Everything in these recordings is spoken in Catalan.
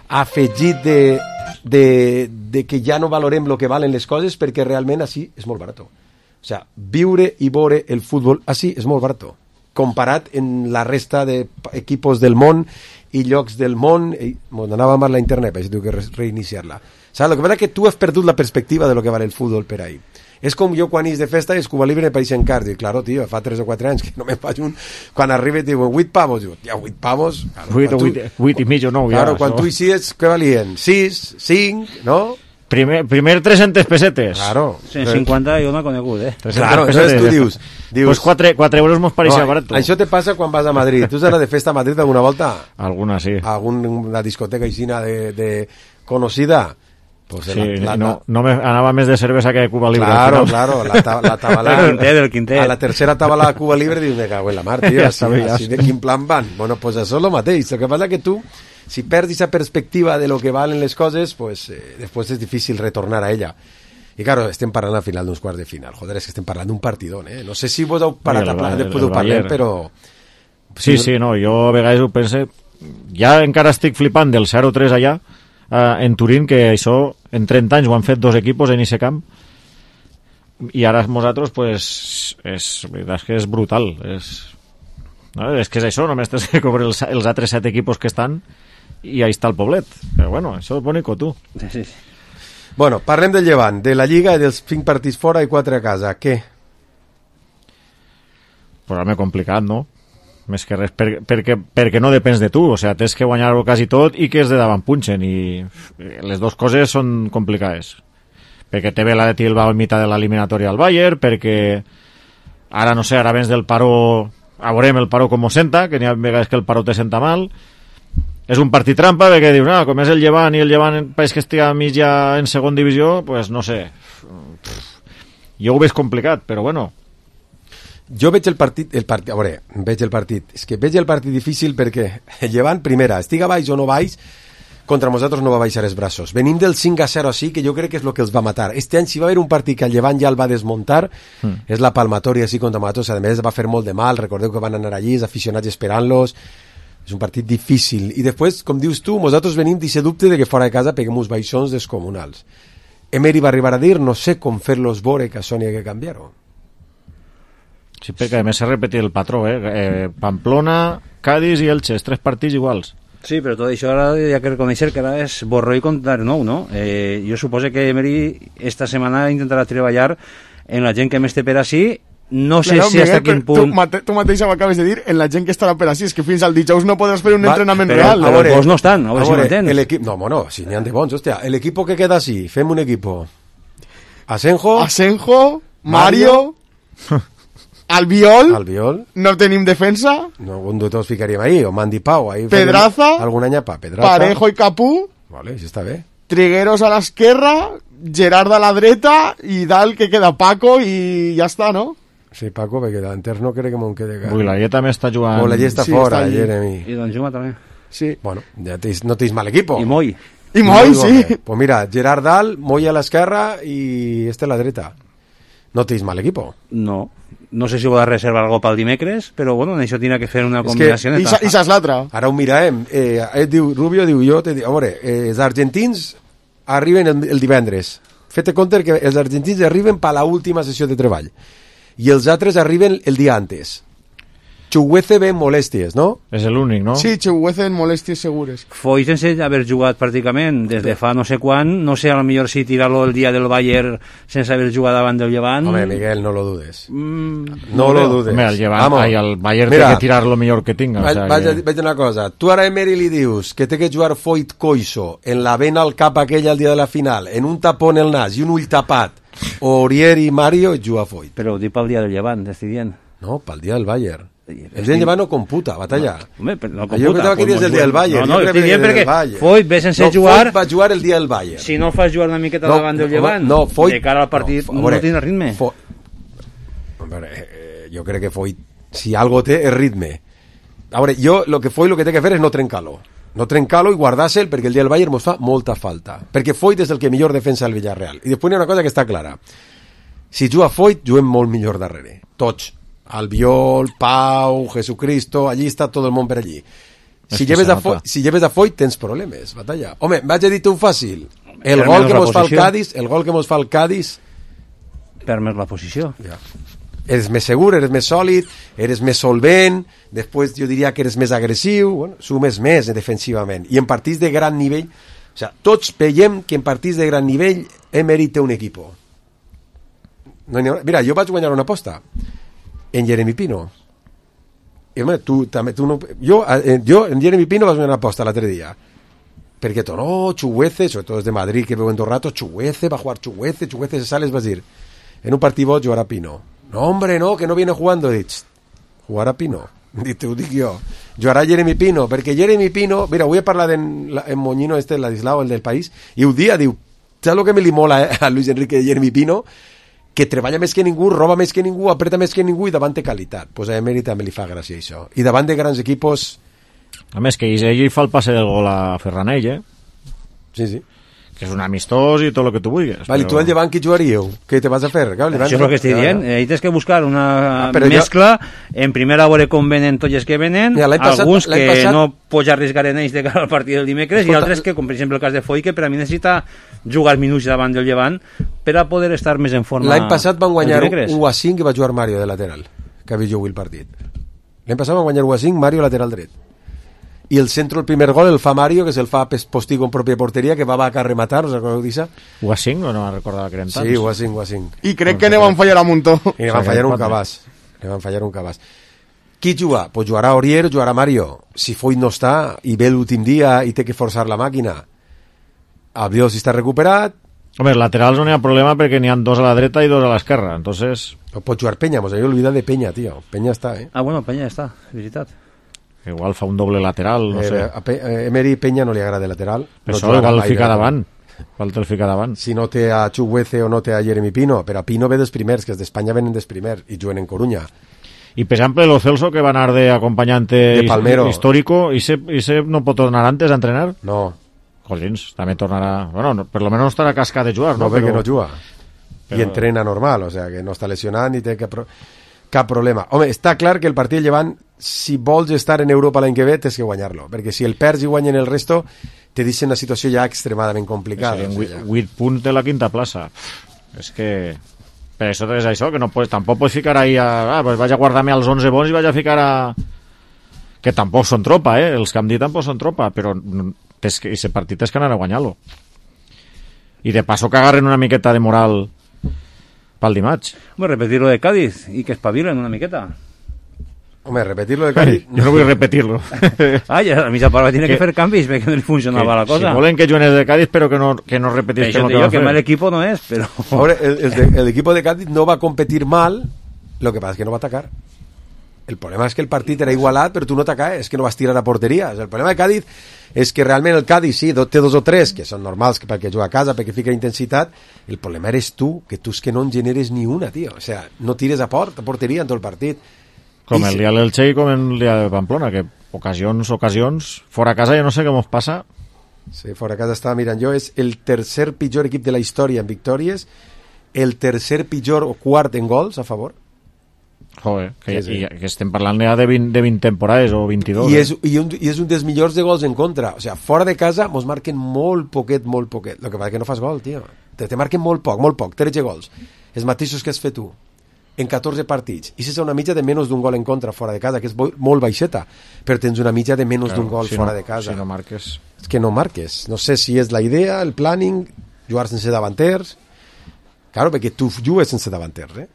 afegit de que ja no valorem el que valen les coses perquè realment així és molt barat. O sigui, viure i veure el futbol així és molt barat comparat en la resta d'equipos del món i llocs del món. M'anava mal la internet, però tinc que reiniciar-la. Saps? El que passa és que tu has perdut la perspectiva de lo que vale el futbol per ahí. És com jo quan és de festa i és Cuba Libre per en car. Dic, claro, tio, fa 3 o 4 anys que no me faig un... Quan arriba et diuen 8 pavos. Dic, ja, 8 pavos... 8 i mig o 9, claro, quan tu hi sigues, què valien? 6, 5, no? Primer 300 pesetes. Claro. 150 jo no he conegut, Claro, entonces tu dius... Pues 4 euros mos pareixia barat. Això te passa quan vas a Madrid. Tu has anat de festa a Madrid alguna volta? Alguna, sí. Alguna discoteca aixina de conocida? Pues sí, no me anava més de cervesa que de Cuba Libre. Claro, la tabala... del Quintet. A la tercera tabala de Cuba Libre dius, me cago en la mar, tio, així de quin plan van? Bueno, pues això és el mateix. El que passa que tu, si perds esa perspectiva de lo que valen les coses, pues después es difícil retornar a ella. I claro, estem parlant al final d'uns quarts de final. Joder, és que estem parlant d'un partidón, No sé si vos heu parat a parlar, després ho parlem, però... Sí, no, jo a vegades ho pense... Ja encara estic flipant del 0-3 allà, en Turín, que això en 30 anys ho han fet 2 equipos en ese camp, i ara nosaltres pues és que és brutal, és que és això, només tens que cobrir els altres 7 equipos que estan i ahí està el poblet, però bueno, això és bonico, tu. Sí. Bueno, parlem del Llevant, de la Lliga i dels 5 partits fora i 4 a casa, què? Pues home, complicat, no? Més que res, perquè no depens de tu, o sigui, tens que guanyar-ho quasi tot i que és de davant punxen, i les dues coses són complicades, perquè té ve la de Tilba a mitjà de l'eliminatòria al Bayern, perquè ara no sé, ara vens del paró, veurem el paró com ho senta, que n'hi ha vegades que el paró te senta mal, és un partit trampa, perquè dius, com és el Llevant i el Llevant pareix que estigui a mitja en segon divisió, pues no sé, jo ho veig complicat, però bueno. Jo veig el partit, a veure, és que veig el partit difícil perquè el Llevant, primera, estiga baix o no baix, contra nosaltres no va baixar els braços. Venim del 5-0 així, que jo crec que és el que els va matar. Este any, si va haver un partit que el Llevant ja el va desmuntar, és la palmatòria així contra nosaltres, a més va fer molt de mal, recordeu que van anar allí, els aficionats esperant-los, és un partit difícil. I després, com dius tu, nosaltres venim d'aquest dubte de que fora de casa peguem uns baixons descomunals. Emery va arribar a dir, no sé com fer-los veure que això n'hi ha que canviar-ho. Sí, perquè a més s'ha repetit el patró, Pamplona, Cádiz i Elche, 3 partits iguals. Sí, però tot això ara hi ha que reconèixer que ara és borró i comptar nou, no? Jo suposo que Emery esta setmana intentarà treballar en la gent que més té per així. No sé si hasta quin punt... Tu mateix m'acabes de dir en la gent que estarà per així, és que fins al dijous no podràs fer un entrenament real. Però els bons no estan, a veure si m'entens. No, bueno, si n'hi ha de bons, hòstia. El equipo que queda així, fem un equipo. Asenjo, Mario... Albiol, no tenim defensa. No, un de tots ficaríem ahí, o Mandy Pau. Ahí Pedraza, algun anyapa, Pedraza. Parejo i Capú. Vale, això està bé. Trigueros a l'esquerra, Gerard a la dreta i dalt que queda Paco i ja està, no? Sí, Paco, perquè l'enters no crec que m'ho quede... Builaguer també està jugant... Builaguer està fora, Jeremy. I Don Juma també. Sí. Bueno, ja no tens mal equipo. I Moy, sí. Pues mira, Gerard dalt, Moy a l'esquerra i este a la dreta. No tens mal equipo. No sé si ho ha de reservar algo pel dimecres, però bueno, en això tindrà que fer una combinació. I saps l'altra? Ara ho mirarem. Diu Rubio, diu jo, a veure, els argentins arriben el divendres. Fete compte que els argentins arriben per l'última sessió de treball i els altres arriben el dia antes. Chuguece ve molèsties, no? És l'únic, no? Sí, Chuguece en molèsties segures. Foy sense haver jugat pràcticament des de fa no sé quan, no sé, a lo millor si tirar-lo el dia del Bayern sense haver jugat davant del Llevant... Home, Miguel, no lo dudes. No lo dudes. Home, el Bayern té que tirar lo millor que tinga. Vaig una cosa. Tu ara a Emery li dius que té que jugar Foyt Coiso en la vena al cap aquella el dia de la final, en un tapó en el nas i un ull tapat, Orier i Mario, juga Foyt. Però ho dic pel dia del Llevant, t'estic dient. No, pel dia del Bayern. El dia del Llevant no computa, batalla. No computa. Jo pensava que dius el dia del Bayern. No, estic dient perquè Foyt ve sense jugar... Foyt va jugar el dia del Bayern. Si no fas jugar una miqueta davant del Llevant, de cara al partit no tindrà ritme. Jo crec que Foyt, si algo té, és ritme. A veure, jo lo que Foyt lo que té que fer és no trencar-lo. No trencar-lo i guardar-se'l perquè el dia del Bayern mos fa molta falta. Perquè Foyt és el que millor defensa el Villarreal. I després hi ha una cosa que està clara. Si juga Foyt, juguem molt millor darrere. Tots. Albiol, Pau, Jesucristo, allí està tot el món per allí. Si lleves a Foyt tens problemes, Batalla. Home, vaig a dir-te un fàcil. El gol que mos fa el Cádiz... Per més la posició. Ja. Eres més segur, eres més sòlid, eres més solvent, després jo diria que eres més agressiu, bueno, sumes més defensivament. I en partits de gran nivell, o sea, tots veiem que en partits de gran nivell Emery té un equip. No mira, jo vaig guanyar una aposta en Jeremy Pino. I, home, tu no... Jo en Jeremy Pino vaig guanyar una aposta l'altre dia. Perquè tu, no, Chuguece, sobretot de Madrid, que veu en 2 ratos, Chuguece, va a jugar Chuguece se sale, vas dir, en un partit bo jugarà Pino. No, hombre, no, que no viene jugando. Dic, jugarà Pino. Ho dic jo. Jugarà Jeremy Pino, perquè Jeremy Pino... Mira, avui he parlat en Moñino, Ladislao, el del País, i ho dia, diu, saps el que me li mola a Luis Enrique de Jeremy Pino? Que treballa més que ningú, roba més que ningú, apreta més que ningú i davant té qualitat. Pues a Emery també li fa gràcia això. I davant de grans equipos... A més, que ell fa el passe del gol a Ferranell, Sí. Que és un amistós i tot el que tu vulguis. Vale, però... tu al Llevant qui jugaríeu? Què te vas a fer? Clar, això és el que estic dient. Ahí tens que buscar una mescla. En primera veure com venen tots els que venen, alguns que no pots arriscar en ells de cara al partit del dimecres, i altres que, com per exemple el cas de Foy, que per a mi necessita jugar minuts davant del Llevant per a poder estar més en forma. L'any passat van guanyar 1-5 i va jugar Mario de lateral, que havia jugat el partit. L'any passat van guanyar 1-5, Mario lateral dret. I el centro, el primer gol, el fa Mario, que se'l fa Postigo en pròpia porteria, que va a rematar, us recordeu d'això? 1-5, o no me'n recordava que eren tants? Sí, 1-5. I crec que ne van fallar a muntó. I ne van fallar un cabàs. Qui juga? Pues jugarà Aurier, jugarà Mario. Si Foyt no està i ve l'últim dia i té que forçar la màquina, Albiol si està recuperat... Home, els laterals no hi ha problema perquè n'hi ha 2 a la dreta i 2 a l'esquerra, entonces... O pot jugar Peña, mos havia oblidat de Peña, tio. Peña està, Ah, bueno, Peña està, veritat. Igual fa un doble lateral, no sé. A Emery Peña no li agrada de lateral. Però no igual el fica davant. Si no té a Chuguece o no té a Jeremy Pino, però a Pino ve dels primers, que els d'Espanya venen dels primers i juguen en Coruña. I per exemple, Lo Celso, que va anar d'acompanyante histórico, i se no pot tornar antes a entrenar? No. Collins, també tornarà... Bueno, per lo menos no estarà cascat de jugar, no? Perquè no juga. I entrena normal, o sea, que no està lesionat ni té cap problema. Home, està clar que el partit Llevant, si vols estar en Europa l'any que ve, tens que guanyar-lo, perquè si el perds i guanyen el resto, te deixen una situació ja extremadament complicada. Serien 8 punts de la quinta plaça. És que... Per això és això, que no pots, tampoc pots ficar ahí pues vaig a guardar-me als 11 bons i vaig a ficar a... Que tampoc són tropa, els que hem dit tampoc són tropa, però aquest partit és que anar a guanyar-lo. I de passo que agarren una miqueta de moral pel dimarts. Home, repetir-lo de Cádiz i que espavilen una miqueta. Home, repetir-lo de Cádiz... Jo no vull repetir-lo. Ja a mitja part tiene que fer canvis perquè no li funcionava la cosa. Si volen que jugues de Cádiz, però que no repetís que no que mal equipo no és, però... Ahora, el equipo de Cádiz no va a competir mal, lo que pasa es que no va a atacar. El problema és que el partit era igualat, però tu no t'acaes, és que no vas tirar a porteria. El problema de Cádiz és que realment el Cádiz, sí, té 2 o 3, que són normals perquè juga a casa, perquè fica intensitat. El problema eres tu, que tu és que no en generes ni una, tio. O sea, no tires a porteria en tot el partit. Com el dia del Che i com el dia de Pamplona, que ocasions, fora casa ja no sé què mos passa. Sí, fora casa estava mirant jo, és el tercer pitjor equip de la història en victòries, el tercer pitjor o quart en gols a favor. Joder, que estem parlant ja de 20 temporades o 22. I és un dels millors de gols en contra. O sea, fora de casa mos marquen molt poquet. El que passa que no fas gol, tio. Te marquen molt poc, 13 gols. Els mateixos que has fet tu en 14 partits. I és una mitja de menys d'un gol en contra fora de casa, que és molt baixeta, però tens una mitja de menys d'un gol fora de casa. Si no marques... És que no marques. No sé si és la idea, el planning, jugar sense davanters. Claro, perquè tu jugues sense davanters,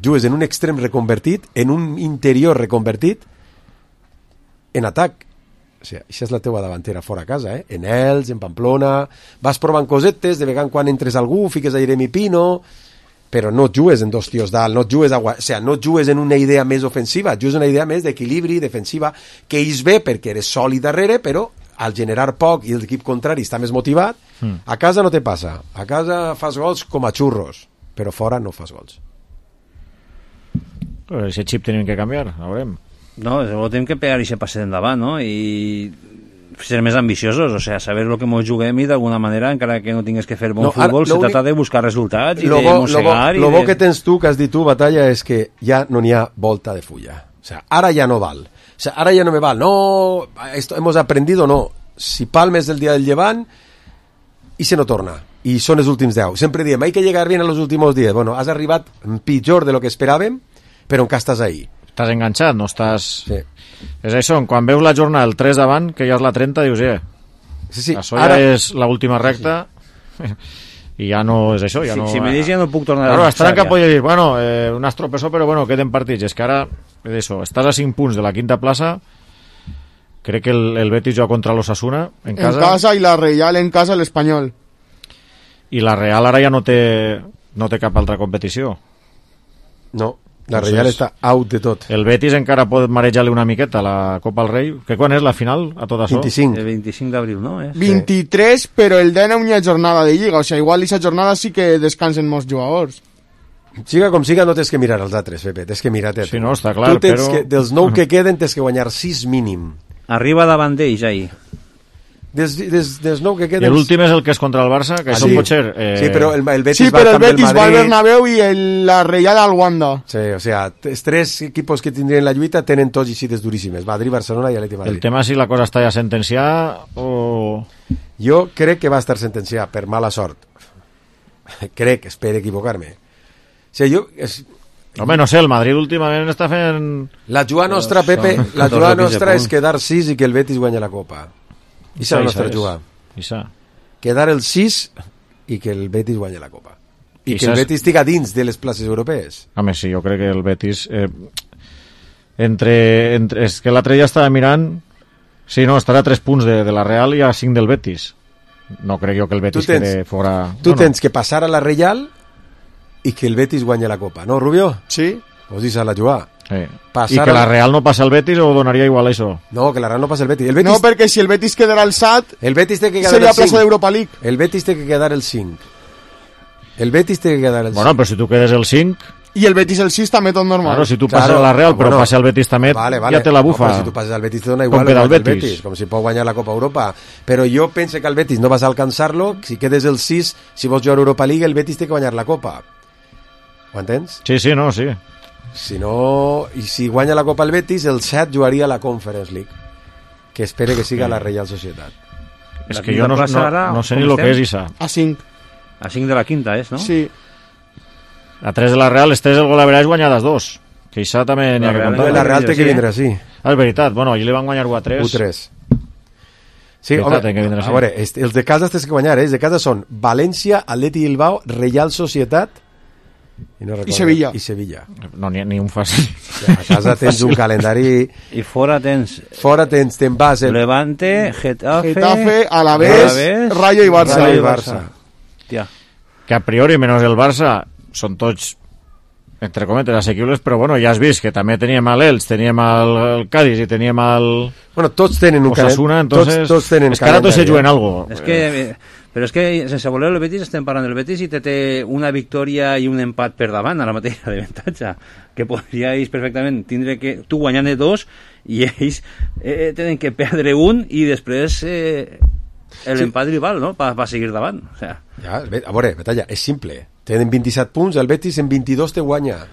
jugues en un extrem reconvertit, en un interior reconvertit, en atac. O sigui, això és la teua davantera fora a casa, en Els, en Pamplona, vas provant cosetes, de vegades quan entres algú, fiques a Jeremy Pino, però no jugues en 2 tios dalt, no jugues en una idea més ofensiva, jugues en una idea més d'equilibri, defensiva, que és bé perquè eres sòlid darrere, però al generar poc i l'equip contrari està més motivat, a casa no te passa. A casa fas gols com a xurros, però fora no fas gols. Ese xip tenim que canviar, a veurem. No, tenim que pegar i se passe d'endavant, no? I ser més ambiciosos, o sea, saber lo que ens juguem i d'alguna manera, encara que no tingues que fer bon futbol, se trata de buscar resultats i de mossegar. Lo bo que tens tu, que has dit tu, Batalla, és que ja no n'hi ha volta de fulla. O sea, ara ja no val. sea, ahora ya no me vale, no, esto hemos aprendido, no. Si palmes el día del llevant i se no torna, i són els últims 10. Sempre diem, hay que llegar bien a los últimos 10. Bueno, has arribat pitjor de lo que esperàvem, però encara estàs ahí. Estàs enganxat, no estàs... Sí. És això, quan veus la jornada el 3 davant, que ja és la 30, dius, sí, això ja és l'última recta, i ja no és això, ja no... Si me dius ja no puc tornar a estar en cap poder dir, bueno, un estropesó, però bueno, queden partits. És que ara, és això, estàs a 5 punts de la quinta plaça. Crec que el Betis juga contra l'Osasuna en casa. En casa, i la Real en casa, l'Espanyol. I la Real ara ja no té cap altra competició. No, la Real està out de tot. El Betis encara pot marejar-li una miqueta a la Copa del Rei. Que quan és la final a tot això? 25. El 25 d'abril, no? 23, però el 19 hi ha jornada de Lliga. O sigui, igual aquesta jornada sí que descansen molts jugadors. Siga com siga, no tens que mirar els altres, Pepe. Tens que mirar-te. Sí, no, està clar, però... dels 9 que queden, tens que guanyar 6 mínim. Arriba davant d'ells, ahí. Des 9 que queden... I l'últim és el que és contra el Barça, que això pot ser... Sí, però el Betis, sí, però el Betis va al Bernabéu i la Real al Wanda. Sí, o sea, els 3 equipos que tindrien la lluita tenen tots xites duríssimes. Madrid, Barcelona i Atleti Madrid. El tema és si la cosa està ja sentenciada o... Jo crec que va estar sentenciada per mala sort. Crec, espero equivocar-me. O sigui, jo... Home, no sé, el Madrid últimament està fent... La jugada nostra, Pepe, la jugada nostra és quedar 6 i que el Betis guanya la Copa. I serà la nostra jugada. Quedar el 6 i que el Betis guanya la Copa. I que el Betis estigui dins de les places europees. Home, sí, jo crec que el Betis... és que l'altre ja estava mirant... Sí, no, estarà a 3 punts de la Real i a 5 del Betis. No crec jo que el Betis quede fora... Tu tens que passar a la Real... i que el Betis guanya la Copa, no, Rubio? Sí. Vos dius a la jugada. Sí. I que la Real no passa al Betis o donaria igual això? No, que la Real no passa al Betis. No, perquè si el Betis quedarà alçat, el Betis té que quedar seria plaça d'Europa League. El Betis té que quedar el 5. El Betis té que quedar el 5. Bueno, però si tu quedes el 5... I el Betis el 6 també tot normal. Claro, si tu passes a la Real, però passa al Betis també, ja te la bufa. No, si tu passes al Betis te dona igual el Betis. Com si pot guanyar la Copa Europa. Però jo penso que el Betis no vas a alcançar-lo, si quedes el 6, si vols jugar a Europa League, el Betis té que guanyar la Copa. Ho entens? Sí, sí, no, sí. Si no, i si guanya la Copa el Betis, el 7 jugaria a la Conference League, que espere que siga la Real Societat. És que jo no sé ni el que és Isa. A 5. A 5 de la quinta, és, no? Sí. A 3 de la Real, este és el gol a veràs guanyades 2. Que Isa també n'hi ha que contar. La Real té que vindre així. Ah, és veritat. Bueno, allí li van guanyar 1-3. 1-3. Sí, home, a veure, els de casa tens que guanyar, els de casa són València, Atleti Bilbao, Real Societat i Sevilla. No, ni un fàcil. A casa tens un calendari... I fora tens... te'n vas... Levante, Getafe, Alavés, Rayo i Barça. Tia. Que a priori, menys el Barça, són tots, entre cometes, assequibles, però bueno, ja has vist que també teníem l'Elx, teníem el Cádiz i teníem el... Bueno, tots tenen un Osasuna, entonces... Tots tenen és que ara tots se juguen algo. És que... Però és que, sense voler el Betis, estem parlant del Betis i té una victòria i un empat per davant a la mateixa d'avantatge, que podríais perfectament tindre que tu guanyant 2 i ells tenen que perdre un i després l'empat rival, no?, va seguir davant. O sea. Ja, a veure, Betalla, és simple. Tenen 27 punts, el Betis en 22 te guanya.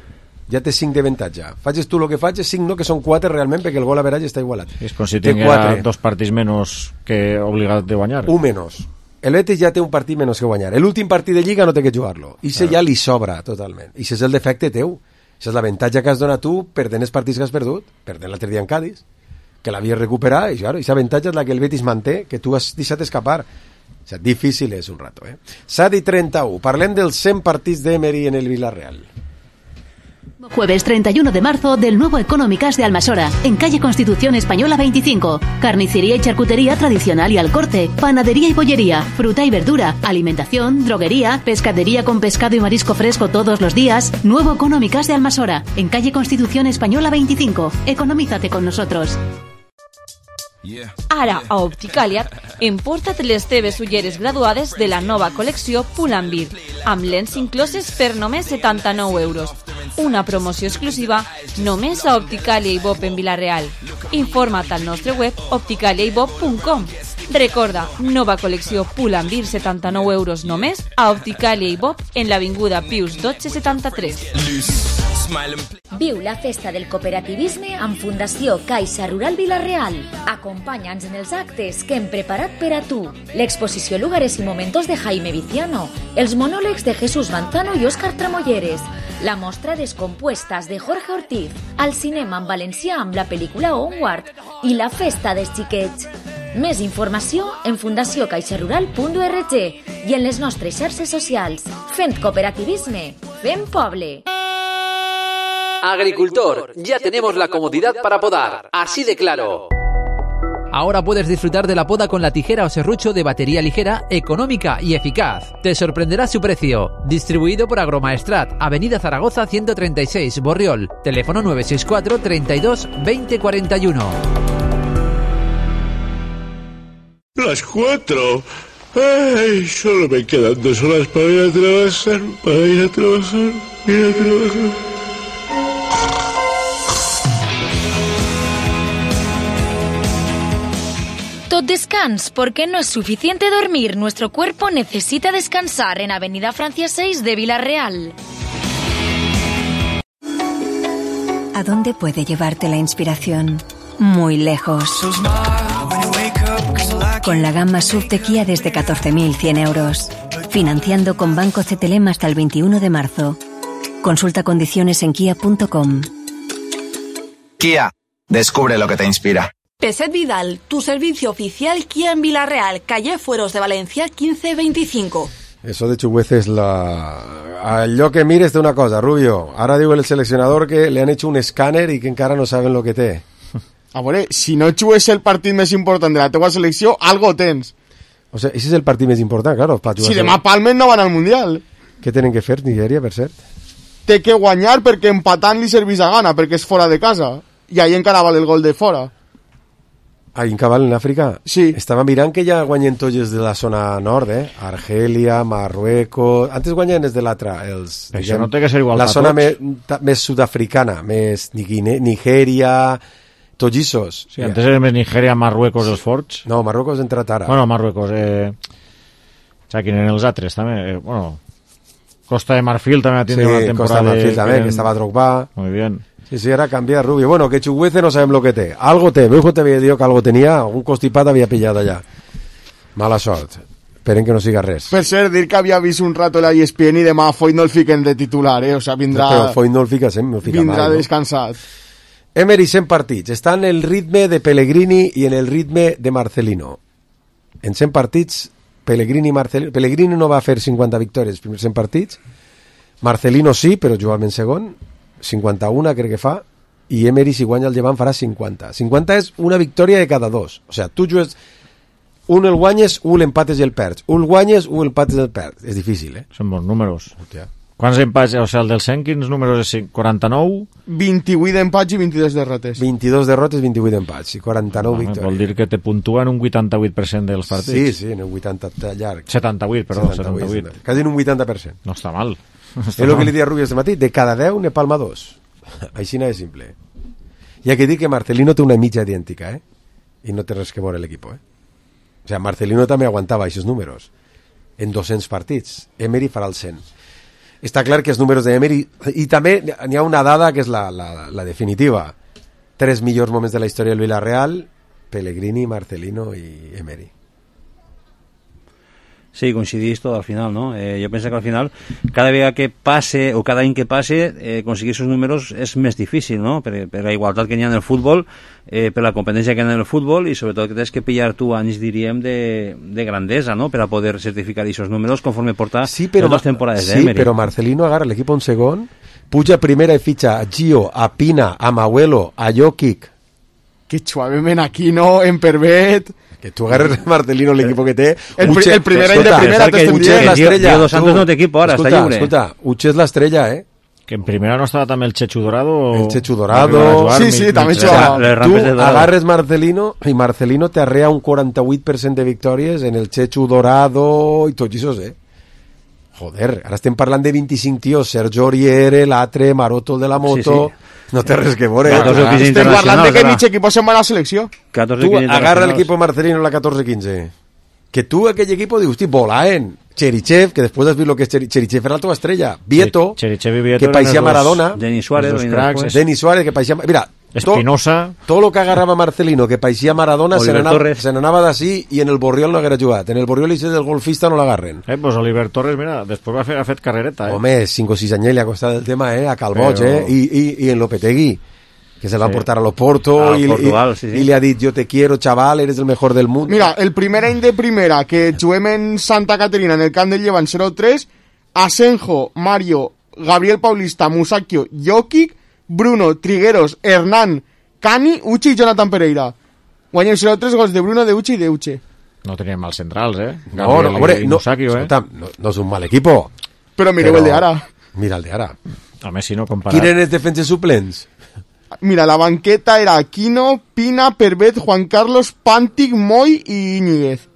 Ja té 5 d'avantatge. Facis tu el que facis, 5 no, que són 4 realment, perquè el gol average està igualat. És com si tinguera 2 partits menys que obligat de guanyar. Un menys. El Betis ja té un partit menys que guanyar. L'últim partit de Lliga no té que jugar-lo. I ja li sobra totalment. I és el defecte teu. Això és l'avantatge que has donat tu perdent els partits que has perdut, perdent l'altre dia en Cádiz, que l'havies recuperat, i claro, aquesta avantatge és la que el Betis manté, que tu has deixat escapar. O sea, difícil és un rato. 7:31. Parlem dels 100 partits d'Emery en el Villarreal. Jueves 31 de marzo del nuevo Económicas de Almasora, en calle Constitución Española 25. Carnicería y charcutería tradicional y al corte, panadería y bollería, fruta y verdura, alimentación, droguería, pescadería con pescado y marisco fresco todos los días. Nuevo Económicas de Almasora, en calle Constitución Española 25. Economízate con nosotros. Ara, a Opticàlia, emporta't les teves ulleres graduades de la nova col·lecció Pull&Bear, amb lents incloses per només 79 euros. Una promoció exclusiva només a Opticàlia i Bob en Vila-real. Informa't al nostre web opticaliaibob.com. Recorda, nova col·lecció Pull&Bear, 79 euros només a Opticàlia i Bob en l'avinguda Pius 1273. Viu la festa del cooperativisme amb Fundació Caixa Rural Vila-real. Acompanya'ns en els actes que hem preparat per a tu. L'exposició Lugares y Momentos de Jaime Viciano, els monòlegs de Jesús Manzano i Òscar Tramolleres, la mostra Descompuestas de Jorge Ortiz, al cinema en valencià amb la pel·lícula Onward i la festa dels xiquets. Més informació en fundaciocaixarural.org i en les nostres xarxes socials. Fent cooperativisme, fent poble. Agricultor, ya tenemos la comodidad para podar, así de claro. Ahora puedes disfrutar de la poda con la tijera o serrucho de batería ligera, económica y eficaz. Te sorprenderá su precio. Distribuido por Agromaestrat, Avenida Zaragoza 136, Borriol. Teléfono 964 32 20 41. Las 4. Ay, solo me quedan 2 horas para ir a trabajar. Tot descans, porque no es suficiente dormir. Nuestro cuerpo necesita descansar en Avenida Francia 6 de Vila-real. ¿A dónde puede llevarte la inspiración? Muy lejos. Con la gama SUV de Kia desde 14.100 euros. Financiando con Banco CTLM hasta el 21 de marzo. Consulta condiciones en kia.com. Kia, descubre lo que te inspira. Peset Vidal, tu servicio oficial Kia en Vila-real, calle Fueros de Valencia 1525. Eso de Chuguez es allò que mires de una cosa, Rubio. Ara diu el seleccionador que le han hecho un escàner i que encara no saben lo que té. A veure, si no jugues el partit més important de la teua selecció, algo tens. O sea, ese es el partit més important, claro. Si demà palmen no van al Mundial. Què tenen que fer, Nigèria, per cert? Té que guanyar perquè empatant li servís a gana, perquè és fora de casa. I ahí encara val el gol de fora. Ahí en Cabal, en Àfrica? Sí. Estava mirant que ja guanyen tots de la zona nord, Argèlia, Marruecos... Antes guanyen des de l'altra, els... Això no té que ser igual la zona més sud-africana, més Nigèria... Tollissos. Sí, antes era més Nigèria, Marruecos, els forts. No, Marruecos ha entrat ara. Bueno, Marruecos. Quin eren els altres, també. Bueno, Costa de Marfil també ha tingut una temporada. Costa de Marfil també, que estava Drogba. Muy bien. Sí, era canviar Rubio. Bueno, que Chuguece no sabem lo que té. Algo té. Veu que t'havia dit que algo tenia, algun constipat havia pillat allà. Mala sort. Esperen que no siga res. Per cert, dir que havia vist un rato la ESPN i demà Foyt no el fiquen de titular, O sea, vindrà... Però Foyt no el fica sempre, no el fica vindrà mai, descansat. Emery 100 partits. Està en el ritme de Pellegrini i en el ritme de Marcelino. En 100 partits, Pellegrini no va fer 50 victòries els primers 100 partits. Marcelino sí, però jugava en segon. 51 crec que fa. I Emery, si guanya el Llevant, farà 50. 50 és una victòria de cada dos. O sigui, tu jugues... Un el guanyes, un l'empates i el perds. Un el guanyes, un l'empates i el perds. És difícil, Són bons números. Hòstia. Quants empats? O sigui, el del 100, quins números és? 49? 28 d'empats i 22 derrotes. 22 derrotes, 28 empats i 49 victòries. Vol dir que te puntuen un 88% dels partits. Sí, en un 80 llarg. 78, perdó, 78. Quasi en un 80%. No està mal. És el que li deia a Rubio este matí, de cada 10 ne palma 2. Així no és simple. Hi ha que dir que Marcelino té una mitja idèntica, i no té res que veure l'equip, O sigui, Marcelino també aguantava aquests números en 200 partits. Emery farà el 100. Està clar que els números d'Emery... I també n'hi ha una dada que és la definitiva. 3 millors moments de la història del Villarreal, Pellegrini, Marcelino i Emery. Sí, coincidís tot al final, ¿no? Jo penso que al final, cada vegada que passe, o cada any que passe, aconseguir aquests números és més difícil, no? Per la igualtat que hi ha en el futbol, per la competència que hi ha en el futbol, i sobretot que tens que pillar tu anys, diríem, de grandesa, no? Per a poder certificar aquests números conforme porta les dues temporades d'Emery. Sí, però Marcelino agarra l'equip un segon, puja primera i fitxa a Gio, a Pina, a Mauelo, a Jokic. Que suavement aquí, no? En Pervet... Que tu agarres Marcelino l'equip que té... El primer any de primera Uche és l'estrella. Dos Santos no té equip ara, està lliure. Escolta, Uche és l'estrella, Que en primera no estava també el Chechu Dorado. El Chechu Dorado. Sí, també jugava. Tu agarres Marcelino i Marcelino te arrea un 48% de victòries en el Chechu Dorado i tots això, Joder, ara estem parlant de 25 tios, Sergio Auriere, l'altre, Maroto de la moto... Sí. No té res que veure. Estem parlant de que mig equip se'n va a la selecció. Tu agarra l'equip Marcelino la 14-15. Que tu aquell equip dius, volaen. Cherichev, que después has visto lo que es Cherichev era la tua estrella. Vieto, que parecía Maradona. Denis Suárez, que parecía... Mira, Espinosa. Todo lo que agarraba Marcelino, que parecía Maradona, se n'anava d'ací i en el Borriol no haguera jugat. En el Borriol i del golfista no l'agarren. Pues Oliver Torres, mira, després ha fet carrereta. Home, 5 o 6 anyets li ha costat el tema, a Calboig, i en Lopetegui, que se va portar a l'Oporto y le ha dit, yo te quiero, chaval, eres el mejor del mundo. Mira, el primer any de primera que juguem en Santa Caterina, en el camp del Llevant 0-3, Asenjo, Mario, Gabriel Paulista, Musacchio, Jokic, Bruno, Trigueros, Hernán, Cani, Uche i Jonathan Pereira. Guanyem 0-3 gols de Bruno, de Uche i de Uche. No tenien mals centrals, Gabriel Musacchio, no és un mal equipo. Però mireu el de ara. Mira el de ara. A més, si no comparat. Quins eren els defenses suplents? Mira, la banqueta era Aquino, Pina, Pervet, Juan Carlos, Pantic, Moy i Íñiguez.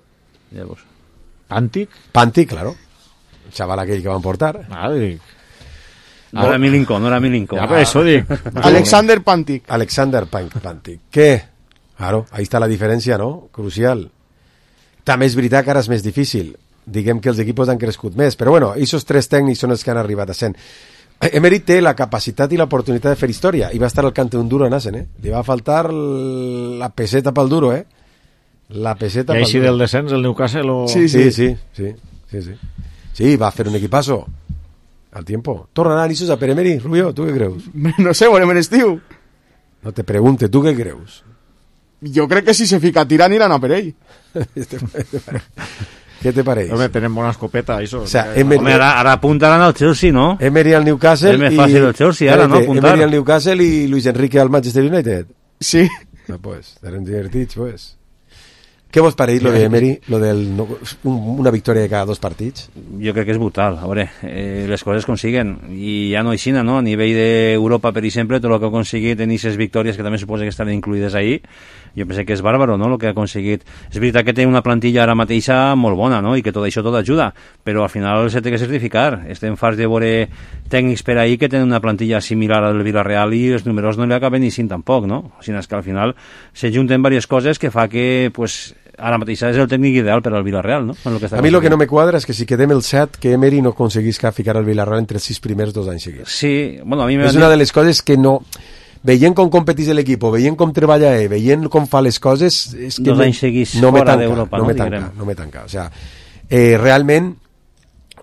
¿Pantic? Pantic, claro. El chaval aquell que van portar. No era Milinko. Eso dic. Alexander Pantic. Pantic. ¿Qué? Claro, ahí está la diferència, no? Crucial. També és veritat que ara és més difícil. Diguem que els equipos han crescut més. Però bueno, aquests 3 tècnics són els que han arribat a 100. Emery té la capacitat i l'oportunitat de fer història i va estar al cante d'un duro en Asen, li va faltar la peseta pel duro, la peseta pel duro. I així del descens el Newcastle o... Sí, va fer un equipazo al tiempo. Tornaran Isos a per Emery, Rubio, tu què creus? No sé, veurem l'estiu. No te pregunte, tu què creus? Jo crec que si se fica a tirar aniran a per ell. ¿Qué te parece? Hombre, tenemos una escopeta, eso. O sea, ahora apuntarán al Chelsea, ¿no? Emery al Newcastle. Es más fácil el Chelsea, ahora, ¿no? Apuntar. Emery al Newcastle y Luis Enrique al Manchester United. Sí. No, pues, eren divertits, pues. Què vos pareix, lo de Emery, lo del una victòria de cada 2 partits? Jo crec que és brutal. A veure, les coses consiguen. I ja no aixina, no? A nivell d'Europa, per exemple, tot el que ha aconseguit en aquestes victòries, que també suposa que estan incluïdes ahí, jo penso que és bàrbaro, no?, el que ha aconseguit. És veritat que té una plantilla ara mateixa molt bona, no?, i que tot això tot ajuda, però al final se té que certificar. Estem farts de veure tècnics per ahí que tenen una plantilla similar al Villarreal i els números no li acaben eixint tampoc, no? O sigui, és que al final se junten diverses coses que fa que, pues, ara mateix és el tècnic ideal per al Villarreal, no? A mi el que no me quadra és que si quedem el 7, que Emery no aconseguisca ficar el Villarreal entre els 6 primers 2 anys seguits. Sí, bueno, a mi és una de les coses que no... Veient com competís l'equip, veient com treballa veient com fa les coses... És que 2 anys seguits fora d'Europa, no me tanca. O sea, realment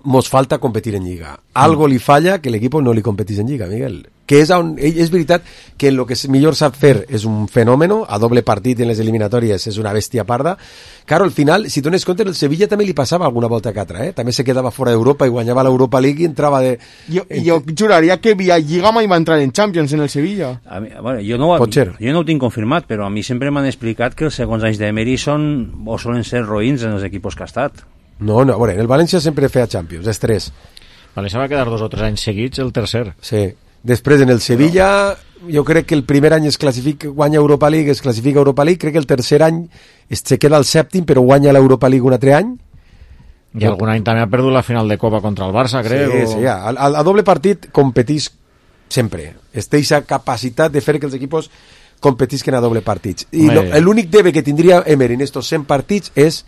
mos falta competir en Lliga. Algo li falla que l'equip no li competís en Lliga, Miguel. Que és veritat que el que millor sap fer és un fenòmeno, a doble partit en les eliminatòries és una bèstia parda. Claro, al final, si dones compte, el Sevilla també li passava alguna volta que altra, també se quedava fora d'Europa i guanyava l'Europa League i entrava de... Jo juraria que via Lliga mai va entrar en Champions en el Sevilla. Bueno, jo no ho tinc confirmat, però a mi sempre m'han explicat que els segons anys d'Emery solen ser roïns en els equips que ha estat. No, a veure, en el València sempre feia Champions, és 3. València va quedar 2 o 3 anys seguits el tercer. Sí. Després, en el Sevilla, jo crec que el primer any es classifica, guanya Europa League, es classifica Europa League, crec que el tercer any se queda al 7º, però guanya l'Europa League un altre any. I algun any també ha perdut la final de Copa contra el Barça, crec. Sí, a doble partit competís sempre. Té aquesta capacitat de fer que els equipos competisquen a doble partits. I l'únic debe que tindria Emery en estos 100 partits és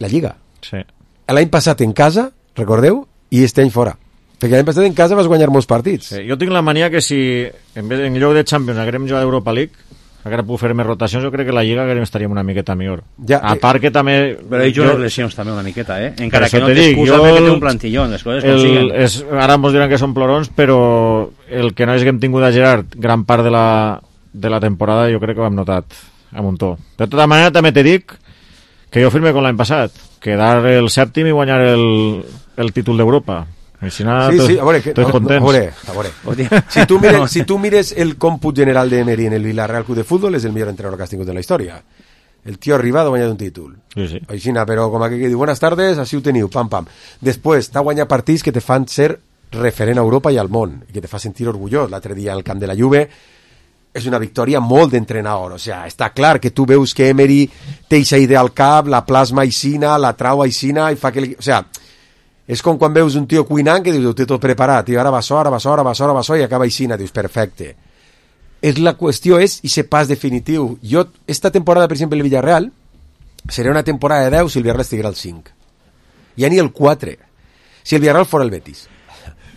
la Lliga. Sí. L'any passat en casa, recordeu, i este any fora. Perquè l'any passat en casa vas guanyar molts partits. Sí, jo tinc la mania que si en lloc de Champions haguem jugat a Europa League, haguera pogut fer més rotacions, jo crec que la Lliga estaríem una miqueta millor. A part que també... Però hi jugat lesions també una miqueta, encara que no t'excusa perquè té un plantillón, les coses consiguen. Ara ens diran que són plorons, però el que no és que hem tingut a Gerard gran part de la temporada jo crec que ho hem notat a muntó. De tota manera també te dic que jo firme com l'any passat, quedar el 7º i guanyar el títol d'Europa. Sí, a veure. Si tu mires el còmput general de Emery en el Villarreal Club de Fútbol, és el millor entrenador que has tingut en la història. El tio ha arribat a guanyar un títol. Sí. Aixina, però com que diu, buenas tardes, així ho teniu, pam, pam. Després, t'ha guanyat partits que te fan ser referent a Europa i al món, i que te fa sentir orgullós. L'altre dia al camp de la Juve és una victòria molt d'entrenador. O sea, està clar que tu veus que Emery té aquesta idea al cap, la plasma aixina, la trau aixina, i fa que... O sea, és com quan veus un tio cuinant que dius, ho té tot preparat, i ara va so, i acaba aixina, dius, perfecte. La qüestió és, i se pas definitiu. Esta temporada, per exemple, el Villarreal, seria una temporada de 10 si el Villarreal estiguera al 5. ja ni el 4. Si el Villarreal fora el Betis.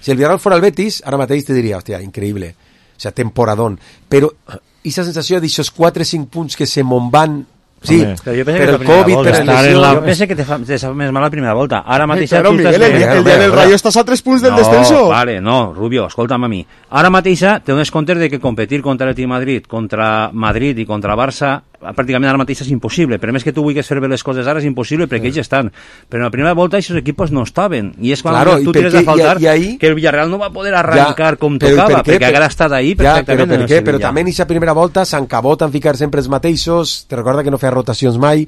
Si el Villarreal fora el Betis, ara mateix te diria, hòstia, increïble. O sea, temporadón. Però, i la sensació d'aixòs 4-5 punts que se me'n van... Sí, per el Covid, per el lesió... Jo penso que te fa més mal la primera volta. Ara mateix... Claro, Miguel, el dia del Rayo estàs a 3 punts del descenso. Vale, no, Rubio, escolta'm a mi. Ara mateix te dones compte de que competir contra l'Atlètic Madrid, contra Madrid i contra Barça, pràcticament ara mateix és impossible. Per més que tu vulguis fer bé les coses ara és impossible perquè ells estan. Però en la primera volta aquests equipos no estaven. I és quan tu tires a faltar que el Villarreal no va poder arrencar com tocava, perquè haguera estat ahí perfectament. Però per què? Però també en aquesta primera volta s'encaboten ficar sempre els mateixos, te recorda que no feia rotacions mai,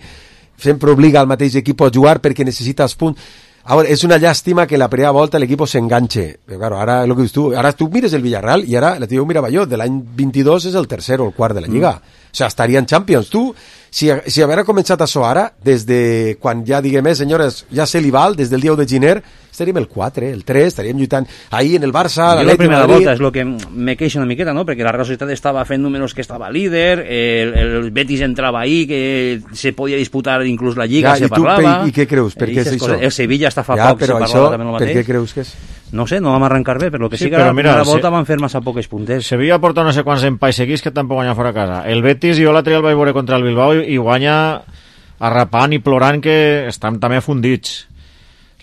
sempre obliga al mateix equip a jugar perquè necessita els punts. Ahora, es una llàstima que la primera volta l'equip s'enganxe. Però claro, ara lo que dius tu, ara tu mires el Villarreal i ara la tio mirava jo, de l'any 22 és el tercer o el quart de la Lliga. O sea, estaria en Champions. Tu, si haguera començat això ara, des de quan ja diguem, senyores, ja se li val, des del dia 1 de gener, estaríem el 4, el 3, estaríem lluitant ahí en el Barça, la primera volta és el que me queixo una miqueta, no? Perquè la Real Societat estava fent números que estava líder, el Betis entrava ahí, que se podia disputar inclús la Lliga, se parlava... I què creus? Per què és això? El Sevilla està fa poc, se parlava també el mateix. Per què creus que és? No sé, no vam arrencar bé, però que sí que la primera volta van fer massa poques puntes. Sevilla porta no sé quants empais seguits que tampoc guanya fora a casa. El Betis, jo l'altre dia el vaig veure contra el Bilbao i guanya arrapant i plorant que estan també fundits.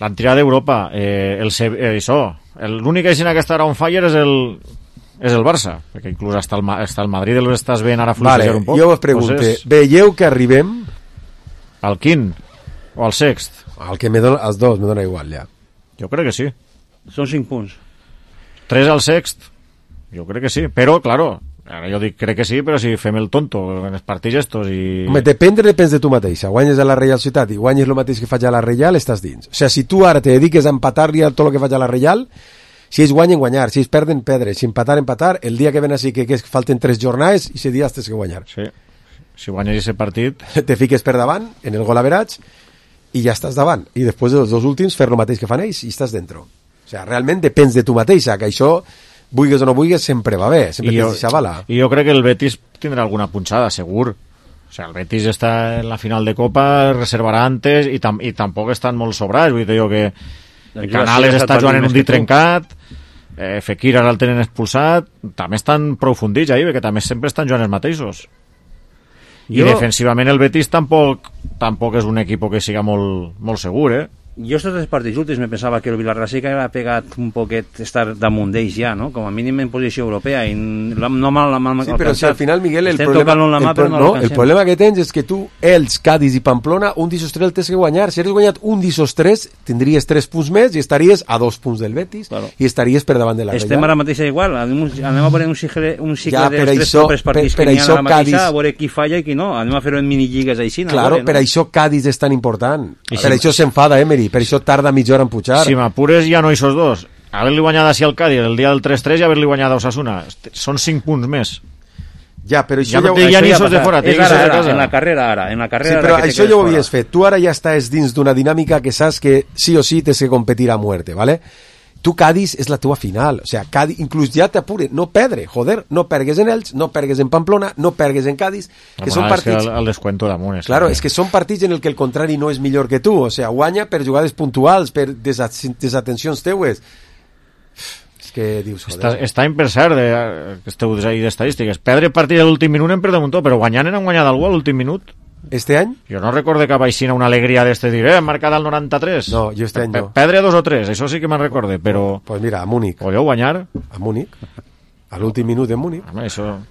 L'han tirat d'Europa. L'únic aixina que estarà on fire és el Barça, perquè inclús hasta el Madrid l'estàs veient ara fluixejar un poc. Jo vos pregunto, veieu que arribem al quint o al sext? Al que me dona, els dos, me dona igual ja. Jo crec que sí. Són 5 punts. 3 al sext, jo crec que sí, però, claro, ara jo dic crec que sí, però si fem el tonto en els partits estos i... Home, depèn de tu mateixa. Guanyes a la Reial Ciutat i guanyes el mateix que faig a la Reial, estàs dins. O sea, si tu ara te dediques a empatar-li tot el que faig a la Reial, si ells guanyen, guanyar, si ells perden, perdre, si empatar, el dia que ven així que falten 3 jornades i ese dia has que guanyar. Sí, si guanyes aquest partit... Te fiques per davant, en el gol average, i ja estàs davant. I després dels dos últims, fer el mateix que fan ells i estàs dentro. O sea, realment depèn de tu mateixa, que això, vulguis o no vulguis, sempre va bé, sempre tens aquesta bala. I jo crec que el Betis tindrà alguna punxada, segur. O sea, el Betis està en la final de Copa, reservarà antes, i tampoc estan molt sobrats, vull dir jo que Canales està jugant en un dit trencat, Fekir ara el tenen expulsat, també estan prou fundits ahí, perquè també sempre estan jugant els mateixos. I defensivament el Betis tampoc és un equip que siga molt segur, Jo estos 3 partits últims me pensava que el Villarreal sí que havia pegat un poquet estar damunt d'ells ja, no? Com a mínim en posició europea i no mal sí, però si al final, Miguel, el problema que tens és que tu, els, Cádiz i Pamplona, un d'ixos 3 el tens que guanyar. Si eres guanyat un d'ixos 3, tindries 3 punts més i estaries a 2 punts del Betis, claro. I estaries per davant de la Real. Estem ara mateix igual, anem a veure un cicle dels 3 propers partits que n'hi ha ara mateix, a veure qui falla i qui no, anem a fer-ho en minilligues així. Claro, per això Cádiz és tan important, per això s'enfada Emery, per això tarda mitja hora en pujar. Si m'apures ja no hi sos dos. Haver-li guanyat així al Cádiz el dia del 3-3 i haver-li guanyat a Osasuna. Són 5 punts més. Ja, però això ja ni sos de fora, és ara, en la carrera ara. Sí, però això ja ho havies fet. Tu ara ja estàs dins d'una dinàmica que saps que sí o sí tens que competir a muerte, ¿vale? Tu, Cádiz, és la teva final. O sea, Cádiz, inclús ja t'apure. No perdre, joder. No pergues en Elx, no pergues en Pamplona, no pergues en Cádiz. Que són partits... És que el descuento damunt. Claro, és que són partits en el que el contrari no és millor que tu. O sea, guanya per jugades puntuals, per desatencions teues. És que dius, joder... Està en per cert, que esteu ahí d'estadístiques. Perdre partit a l'últim minut en perdem un tot, però guanyant han guanyat algú a l'últim minut. Este any? Jo no recorde cap aixina una alegria d'este dir, hem marcat al 93. No, jo este any no. Perdre 2 o 3, això sí que me'n recorde, però... Pues mira, a Múnich. Podeu guanyar? A Múnich. A l'últim minut en Múnich. Home, eso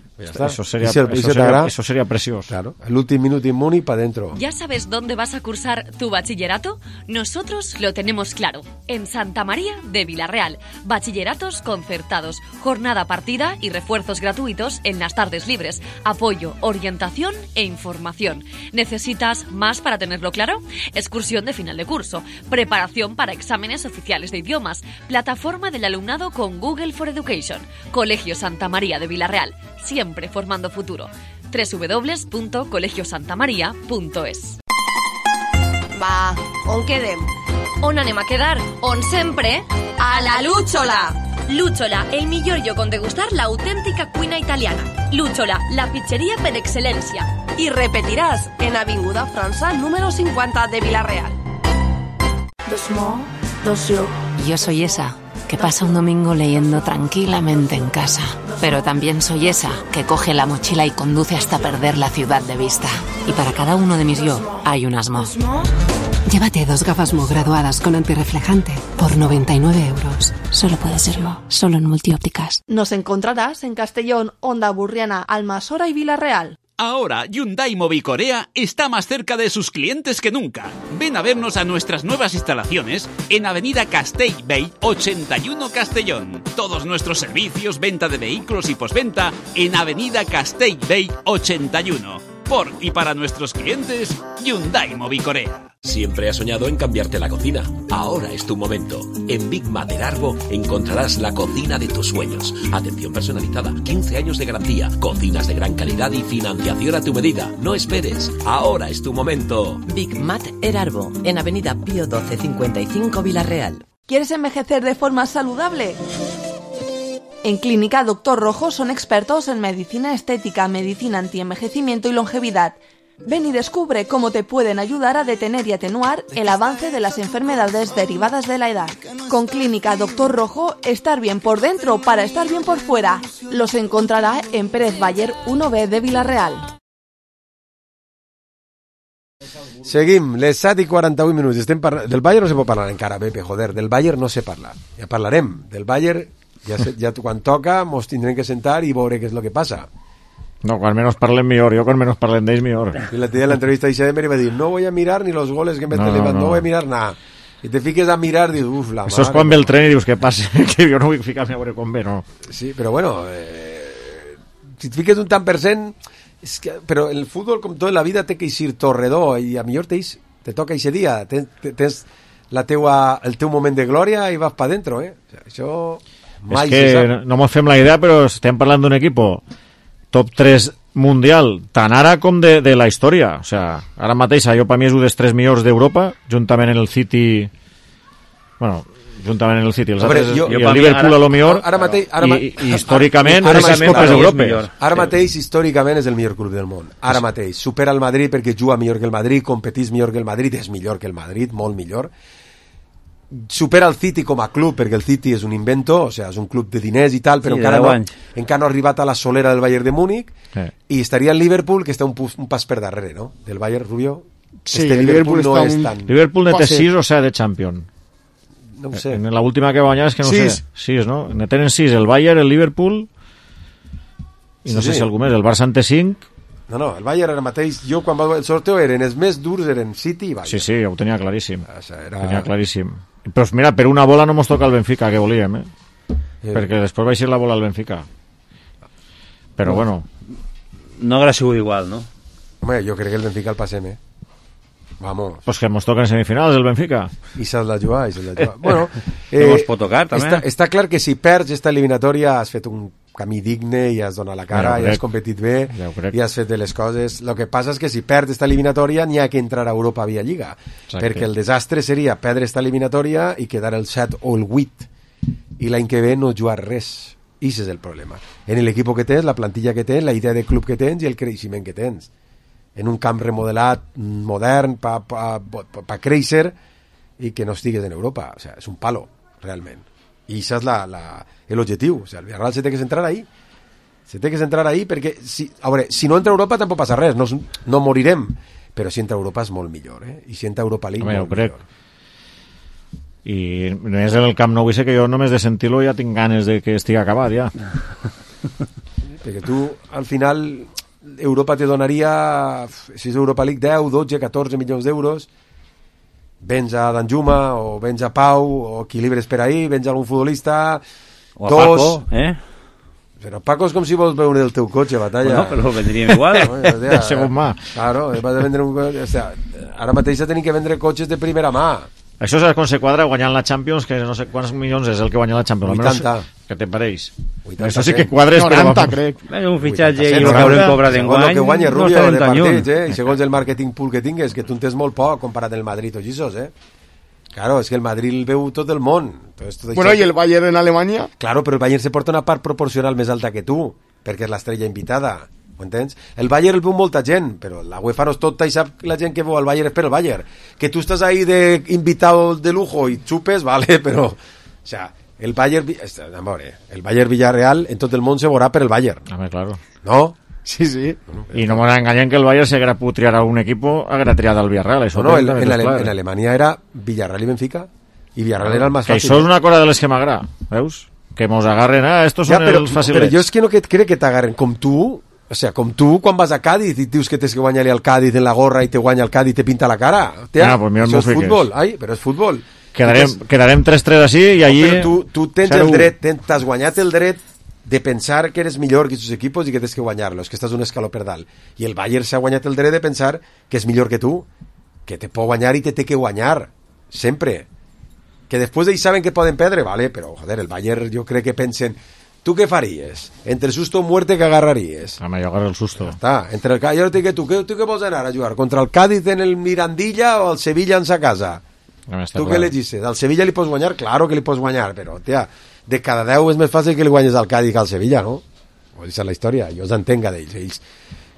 sería precioso. Claro, el último minuto en Múnich para adentro. ¿Ya sabes dónde vas a cursar tu bachillerato? Nosotros lo tenemos claro. En Santa María de Villarreal. Bachilleratos concertados, jornada partida y refuerzos gratuitos en las tardes libres. Apoyo, orientación e información. ¿Necesitas más para tenerlo claro? Excursión de final de curso. Preparación para exámenes oficiales de idiomas. Plataforma del alumnado con Google for Education. Colegio Santa María de Villarreal. Siempre formando futuro. www.colegiosantamaria.es. Va, on quedem? On anem a quedar? On sempre? A la Lúchola! Lúchola, el millor lloc on degustar l'autèntica cuina italiana. Lúchola, la pizzeria per excel·lència. I repetiràs en Avinguda França número 50 de Villarreal. Yo soy esa que pasa un domingo leyendo tranquilamente en casa. Pero también soy esa que coge la mochila y conduce hasta perder la ciudad de vista. Y para cada uno de mis yo hay un Asmo. Llévate 2 gafas Mo graduadas con antirreflejante por 99 euros. Solo puede ser Mo, solo en Multiópticas. Nos encontrarás en Castellón, Onda Burriana, Almasora y Villarreal. Ahora Hyundai Mobicorea está más cerca de sus clientes que nunca. Ven a vernos a nuestras nuevas instalaciones en Avenida Castellbell 81 Castellón. Todos nuestros servicios, venta de vehículos y postventa en Avenida Castellbell 81. Por y para nuestros clientes, Hyundai Mobicorea. Siempre has soñado en cambiarte la cocina. Ahora es tu momento. En Big Mater Arbo encontrarás la cocina de tus sueños. Atención personalizada, 15 años de garantía, cocinas de gran calidad y financiación a tu medida. No esperes. Ahora es tu momento. Big Mater Arbo, en Avenida Pío 12 55 Villarreal. ¿Quieres envejecer de forma saludable? En Clínica Dr. Rojo son expertos en medicina estética, medicina antienvejecimiento y longevidad. Ven y descubre cómo te pueden ayudar a detener y atenuar el avance de las enfermedades derivadas de la edad. Con Clínica Dr. Rojo, estar bien por dentro para estar bien por fuera. Los encontrará en Pérez Bayer 1B de Villarreal. Seguim, les 7:41 minuts. Del Bayern no se pot parlar encara, Pepe, joder. Del Bayern no se parla. Ja parlarem. Del Bayern, ja quan toca, mos tindrem que sentar i veure què és el que passa. No, quan menos parlem millor. Jo quan menos parlem d'ells millor. Y la tía en la entrevista de Emery va a decir, no voy a mirar ni los goles que mete Lewandowski, no voy a mirar nada. Y te fiques a mirar, dius, uf, la Això és quan ve el tren i dius, què passa? Que jo no vull ficar-me a veure com ve, no. Sí, però bueno, si te fiques un tant per cent, és que, però el futbol, com tot, la vida té que eixir torredor, i a millor te toca ese dia, tens el teu moment de glòria i vas pa dentro, eh? O sea, això mai és que no mos fem la idea, però estem parlant d'un equipo top 3 mundial, tant ara com de la història. O sea, ara mateix, jo per mi és un dels 3 millors d'Europa, juntament en el City, bueno, juntament en el City, els altres, i el Liverpool a lo millor, i històricament és Copes d'Europa. Ara mateix, històricament, és el millor club del món. Ara mateix. Supera el Madrid perquè juga millor que el Madrid, competís millor que el Madrid, és millor que el Madrid, molt millor. Supera el City com a club, perquè el City és un invento, o sea, és un club de diners i tal, però encara no ha arribat a la solera del Bayern de Múnich, i estaria el Liverpool, que està un pas per darrere, no? Del Bayern, Rubio. Sí, el Liverpool no és tan... Liverpool ne té 6 o 7 de Champions. No ho sé. En la última que va guanyar és que no sé. 6, no? Ne tenen 6, el Bayern, el Liverpool, i no sé si algú més, el Barça en té 5. No, el Bayern ara mateix, jo quan va el sorteo eren els més durs, eren City i Bayern. Sí, ho tenia claríssim. Tenia claríssim. Però mira, per una bola no mos toca el Benfica, que volíem, perquè després va eixir la bola al Benfica. Però bueno. No haurà sigut igual, no? Home, jo crec que el Benfica el passem, Vamos. Pues que mos toquen semifinals el Benfica. I s'ha de jugar, Bueno, mos pot tocar, també. Està clar que si perds esta eliminatòria has fet un camí digne i has donat la cara, i has competit bé, i has fet les coses. El que passa és que si perds esta eliminatòria n'hi ha que entrar a Europa via Lliga. Exacte. Perquè el desastre seria perdre esta eliminatòria i quedar el 7 o el 8 i l'any que ve no jugar res. I ese és el problema. En l'equip que tens, la plantilla que tens, la idea de club que tens i el creixement que tens. En un camp remodelat, modern, pa créixer i que no estigues en Europa. O sea, és un palo, realment. I això és l'objectiu. O sea, el Villarreal se té que centrar ahí. Se té que centrar ahí perquè, si no entra a Europa tampoc passa res, no morirem. Però si entra a Europa és molt millor, I si entra a Europa League, molt millor. I només en el Camp Nou, que jo només de sentir-lo ja tinc ganes de que estigui acabat, ja. Perquè tu, al final... Europa te donaria, si és Europa League, 10, 12, 14 milions d'euros, vens a Danjuma o vens a Pau o equilibres per ahí, vens a algun futbolista o a Paco, però Paco és com si vols veure el teu cotxe, Batalla. Bueno, però vendríem igual. De segon mà. Claro, vas a vendre un cotxe, o sea, ara mateix tenim que vendre cotxes de primera mà. Això és com se quadra guanyant la Champions, que no sé quants milions és el que guanya la Champions. 80. Què te pareix? Això sí que quadres... 90, crec. Un fitxatge i el que haurem cobrat d'enguany. El que guanya Rubio de partits, I segons el marketing pool que tingues, que tu en tens molt poc comparat amb el Madrid o Gisos, Claro, és que el Madrid el veu tot el món. Entonces, bueno, ¿y el Bayern en Alemania? Claro, però el Bayern se porta una part proporcional més alta que tu, perquè és l'estrella invitada. m'entens? El Bayern el veu molta gent, però la UEFA no és tota i sap la gent que veu el Bayern és per el Bayern. Que tu estàs ahí de invitado de lujo i xupes, vale, però... O sea, el Bayern... el Bayern Villarreal en tot el món se veurà per el Bayern. A ver, claro. No? Sí. Y no me engañen que el Bayern se haguera putriar a algún equipo, haguera triado al Villarreal. Eso no, en Alemania era Villarreal y Benfica, y Villarreal era el más fácil. Que això és una cosa de les que m'agrada, veus? Que mos agarren, estos són els fàcils. Però jo és que no crec que t'agarren com tu, o sea, com tu quan vas a Cádiz i dius que tens que guanyar-li al Cádiz en la gorra i te guanya el Cádiz i te pinta la cara. Pues això és futbol, però és futbol. Quedarem 3-3 així i allí... Però tu tens el dret, t'has guanyat el dret de pensar que eres millor que aquests equipos i que tens que guanyar-los, que estàs un escaló per dalt. I el Bayern s'ha guanyat el dret de pensar que és millor que tu, que te pot guanyar i te té que guanyar, sempre. Que després ells saben que poden perdre, vale, però, joder, el Bayern jo crec que pensen, tu què faries? Entre susto o muerte que agarraries? Home, jo agarro el susto. Està, entre el Cádiz, jo dic que tu què vols anar a jugar? Contra el Cádiz en el Mirandilla o el Sevilla en sa casa? Tu què elegis? Al Sevilla li pots guanyar? Claro que li pots guanyar, però, tia, de cada 10 és més fàcil que li guanyes al Cádiz que al Sevilla, no? Esa és la història, jo els entenga d'ells. Ells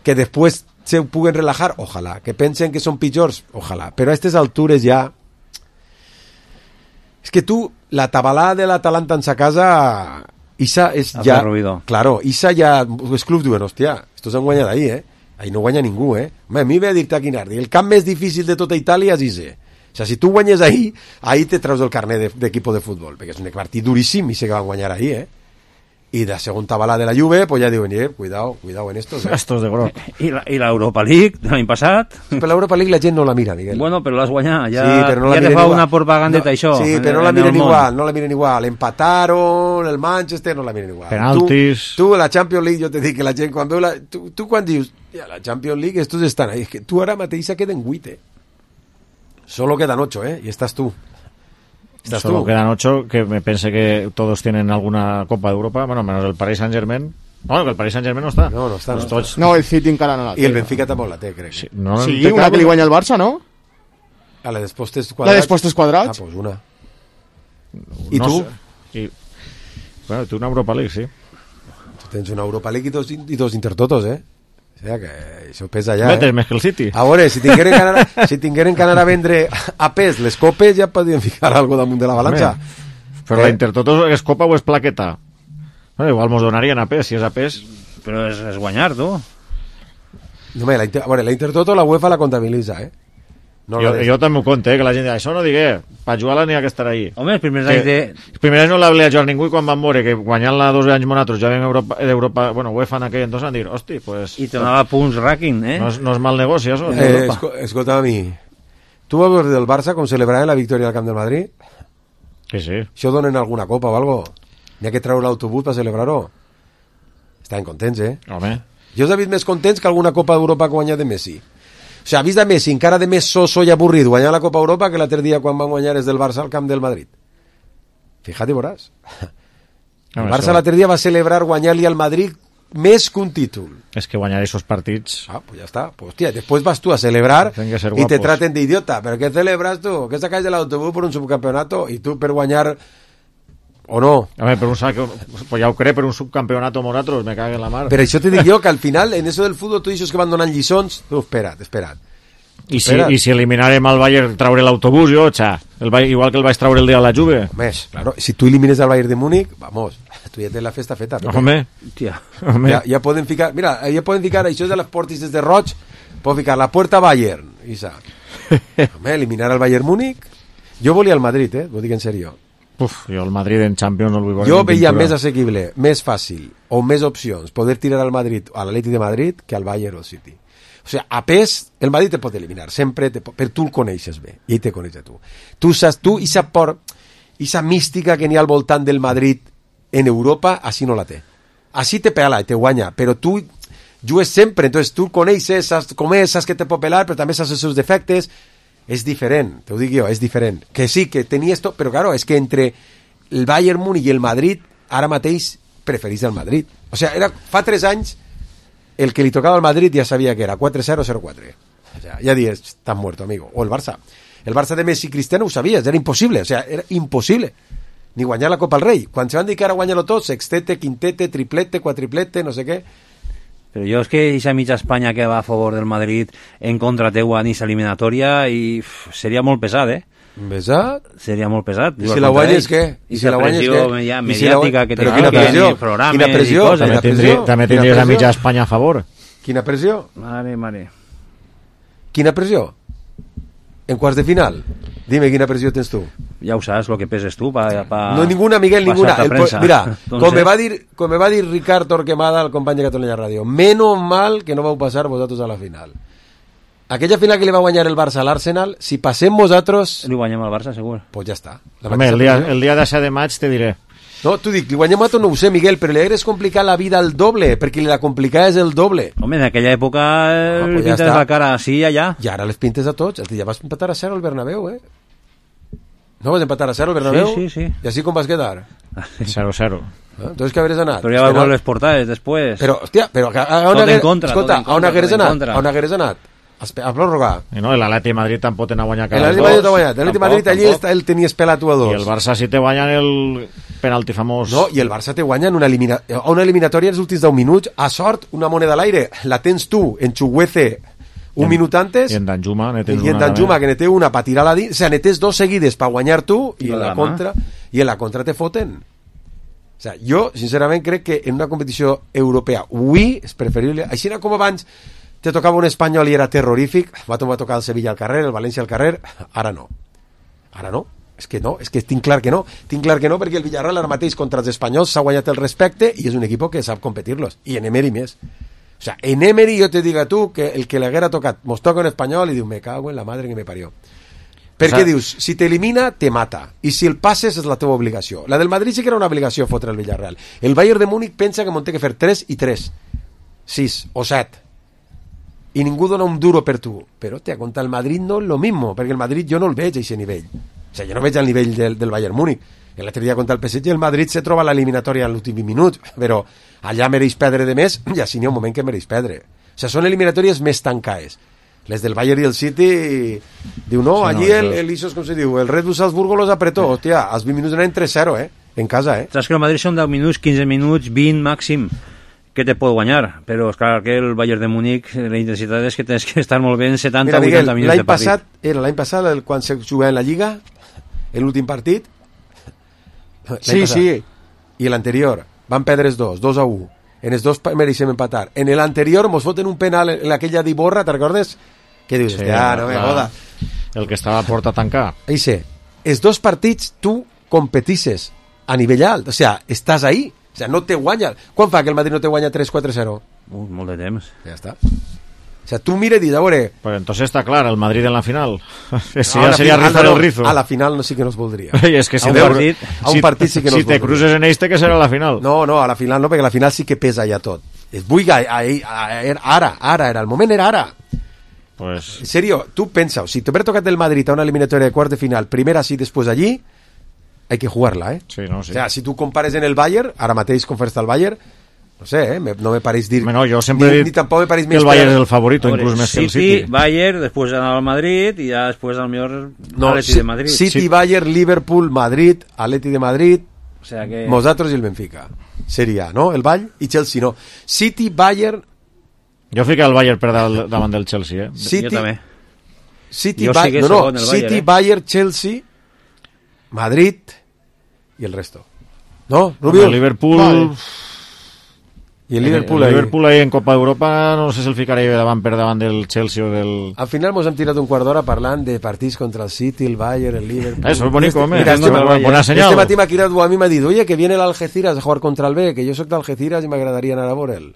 que després se puguen relajar, ojalà. Que pensen que són pitjors, ojalà. Però a aquestes altures ja... És que tu, la tabalada de l'Atalanta en sa casa, Isa és ja... Claro, Isa ja... Els clubs diuen, hòstia, estos han guanyat ahí, Ahí no guanya ningú, Home, a mi ve a dir-te a Quinardi, el camp més difícil de tota Itàlia és Ise. O sea, si tu guanyes ahí te traus el carnet d'equip de futbol, perquè és un partit duríssim i sé que van guanyar ahí, I de segon tabalà de la Juve, pues ja diuen, cuidado en estos, Estos de groc. I l'Europa League de l'any passat? Però l'Europa League la gent no la mira, Miguel. Bueno, però l'has guanyat, ja, sí, però no ja te fa una propagandeta, això. Sí, però no la miren igual. Empataron, el Manchester, no la miren igual. Penaltis. Tu la Champions League, jo te dic que la gent quan veu tu quan dius, la Champions League, estos estan ahí, és que tu ara mateix se queden 8, Solo quedan 8, y estás tú. Solo quedan 8, que me pensé que todos tienen alguna Copa de Europa, bueno, menos el Paris Saint-Germain. Bueno, que el Paris Saint-Germain no està. No està. No, el City encara no la té. I el Benfica tampoc la té, crec. Sí, una que li guanya el Barça, no? A la dels postes quadrats. La dels postes quadrats? Pues una. I tu? Bueno, tu una Europa League, sí. Tu tens una Europa League i dos Intertotos, O sea, que això pesa ja, Vete, més que el City. A veure, si tingueren que anar a vendre a pes les copes, ja podien ficar algo damunt de la balança. Però la Intertoto és copa o és plaqueta? Igual mos donarien a pes, si és a pes. Però és guanyar, tu. No, a veure, la Intertoto la UEFA la comptabilitza, No jo també ho conto, que la gent diu, això no digué, per jugar-la n'hi ha que estar ahí. Home, els primers anys Els primers anys no la volia jugar ningú i quan van veure que guanyant-la 2 anys nosaltres ja vam d'Europa, bueno, UEFA en aquell entonces van dir, hosti, pues... I te donava punts ranking, No és mal negoci, això. Escolta, a mi, tu vas veure del Barça com celebraven la victòria al Camp del Madrid? Que sí. Això donen alguna copa o algo? N'hi ha que treure l'autobús per celebrar-ho? Estaven contents, Home. Jo us he vist més contents que alguna Copa d'Europa que guanyat de Messi. O sea, ha vist a Messi encara de més soso i avorrit guanyar la Copa Europa que l'altre dia quan van guanyar des del Barça al camp del Madrid. Fíjate, veuràs. El Barça l'altre dia va celebrar guanyar-li al Madrid més que un títol. És que guanyar aquests partits... Pues ja està. Pues, tía, després vas tu a celebrar i te traten d'idiota. ¿Pero qué celebras tú? ¿Qué sacáis del autobús por un subcampeonato? I tu per guanyar... O no? A ver, pues ja ho crec, per un subcampeonato nosaltres, me cague en la mar. Però això te dic jo, que al final, en eso del fútbol, tu dius que van donant lliçons, tu, espera't. I si eliminarem al Bayern traure l'autobús, jo, igual que el vaig traure el dia a la Juve. Més, claro, si tu elimines al Bayern de Múnich, vamos, tu ja tens la festa feta. Home. Ja poden ficar, mira, ja poden ficar, això de les portes des de Roig, poden ficar la puerta Bayern, Isa. Home, eliminar al Bayern Múnich. Jo volia el Madrid, ho dic en serio. Jo el Madrid en Champions no el vull veure. Jo veia més assequible, més fàcil o més opcions poder tirar al Madrid o a l'Atleti de Madrid que al Bayern o al City. O sigui, a pes, el Madrid te pot eliminar sempre, però tu el coneixes bé i ell te coneix a tu. Tu saps, i esa mística que n'hi ha al voltant del Madrid en Europa, així no la té. Així te pela i te guanya, però tu jugues sempre, entonces tu coneixes, saps com és, saps que te pot pelar, però també saps els seus defectes. És diferent, te ho dic jo, és diferent. Que sí, que tenia esto, però claro, és que entre el Bayern Múnich i el Madrid, ara mateix preferís el Madrid. O sea, fa 3 anys, el que li tocava al Madrid ja sabia que era 4-0 o 0-4. O sea, ja dies, estàs muerto, amigo. O el Barça. El Barça de Messi i Cristiano ho sabies, era impossible. O sea, era impossible. Ni guanyar la Copa al Rei. Quan se van dir que ara guanyar-lo tot, sextete, quintete, triplete, quadriplete, no sé què. Però jo és que aquesta mitja Espanya que va a favor del Madrid en contra teua en aquesta eliminatòria i seria molt pesat, Pesat? Seria molt pesat. I si la guanyes, què? I si la guanyes, què? Mediàtica que té programes i coses. També tindries a mitja Espanya a favor. Quina pressió? Mare. Quina pressió? En quarts de final? Dime, quina pressió tens tu? Ja ho saps, el que peses tu. No, ninguna, Miguel, ninguna. Mira, com me va dir Ricard Torquemada, el company de Catalunya Ràdio, menos mal que no vau passar vosaltres a la final. Aquella final que li va guanyar el Barça a l'Arsenal, si passem vosaltres... Li guanyem al Barça, segur. Pues ja està. Home, el dia de 7 de maig te diré. No, t'ho dic, li guanyem a tot, no ho sé, Miguel, però li hagués complicat la vida al doble, perquè li la complicaves el doble. Home, en aquella època pintes la cara així i allà. I ara les pintes a tots. Ja vas empatar a 0 al Bernabéu, No vas empatar a 0 al Bernabéu? Sí. I així com vas quedar? 0-0. Entonces, què hagués anat? Però ja va veure les portades després. Però, hòstia, on hagués anat? A pròrroga. No, l'Atleti de Madrid tampoc tenen guanyat cada dos. L'Atleti de Madrid allí el tenies pelat 1-2. I el Barça si te guanyen el penalti famós. No, i el Barça te guanya en una eliminatòria els últims 10 minuts, a sort, una moneda a l'aire. La tens tu, en Chuguece, un minut antes. I en Danjuma que ne té una per tirar-la dins. O sigui, ne tens 2 seguides per guanyar tu i en la contra te foten. O sea, jo, sincerament, crec que en una competició europea avui és preferible, així com abans te tocava un espanyol i era terrorífic, va tocar el Sevilla al carrer, el València al carrer, ara no. És que tinc clar que no, perquè el Villarreal ara mateix contra els espanyols s'ha guanyat el respecte i és un equip que sap competir-los, i en Emery més. O sea, en Emery jo te dic a tu que el que l'haguera tocat mos toca un espanyol i diu, me cago en la madre que me parió. Perquè dius, si t'elimina, te mata. I si el passes és la teva obligació. La del Madrid sí que era una obligació fotre el Villarreal. El Bayern de Múnich pensa que m'ho té que fer 3 i 3. 6 o 7. I ningú dona un duro per tu. Però, contra el Madrid no és lo mismo, perquè el Madrid jo no el veig a aquest nivell. O sigui, jo no veig el nivell del Bayern Múnich. L'altre dia contra el PSG el Madrid se troba a l'eliminatòria en l'últim minut, però allà mereix perdre de més i així n'hi ha un moment que mereix perdre. O sigui, són eliminatòries més tancades. Les del Bayern i el City diu, no, allí el com se diu, el Red Bull Salzburgo los apretó, hòstia, als 20 minuts anaven 3-0, en casa, Saps que el Madrid són 10 minuts, 15 minuts, 20 màxim, que te pot guanyar, però és clar que el Bayern de Múnich, la intensitat és que tens que estar molt bé en 70 o 80 minuts de partit. L'any passat, quan se jugava en la Lliga, l'últim partit, sí. I l'anterior, van perdre els 2-1. En els 2 mereixem empatar. En l'anterior mos foten un penal en aquella d'Iborra, te'n recordes? Què dius? Sí, no me joda. El que estava a porta a tancar. Eixe, els 2 partits tu competisses a nivell alt, o sea, estàs ahí, o sea, no te guanya. Quan fa que el Madrid no te guanya 3-4-0? Molt de temps. Ja està. O sea, tú mira y dices, ahora... Pues entonces está claro, el Madrid en la final. Eso ya sería rizar el rizo. A la final no sí que nos voldría. Es que a un partit sí que nos si te cruces en este, que será la final. No, a la final no, perquè la final sí que pesa ja tot. Ara era, el moment era ara. Pues... En serio, tú pensa, si te hubiera tocado el Madrid a una eliminatoria de cuartos de final, primera así, después allí, hay que jugarla, Sí, no, sí. O sea, si tú compares en el Bayern, ara mateix com fes el Bayern, no sé, no me pareix dir... No, jo sempre he dit que el Bayern és el favorito, inclús més que el City. Bayern, després anar al Madrid i ja després al millor Atleti de Madrid. City, Bayern, Liverpool, Madrid, Atleti de Madrid, o sea que... nosaltres i el Benfica. Seria, no? El Ball i Chelsea, no. City, Bayern... Jo fico el Bayern per davant del Chelsea, City, jo també. City, City, Bayern, Chelsea, Madrid i el resto. No, Rubio? Liverpool... Vale. I el Liverpool ahí en Copa d'Europa no sé si el ficaria per davant del Chelsea o del... Al final mos hem tirat un quart d'hora parlant de partits contra el City, el Bayern, el Liverpool... Eso es bonito, mira, buena señal. Este matí m'ha cridat a mi m'ha dit, oye, que viene el Algeciras a jugar contra el B, que jo soc d'Algeciras i m'agradaria anar a veure'l.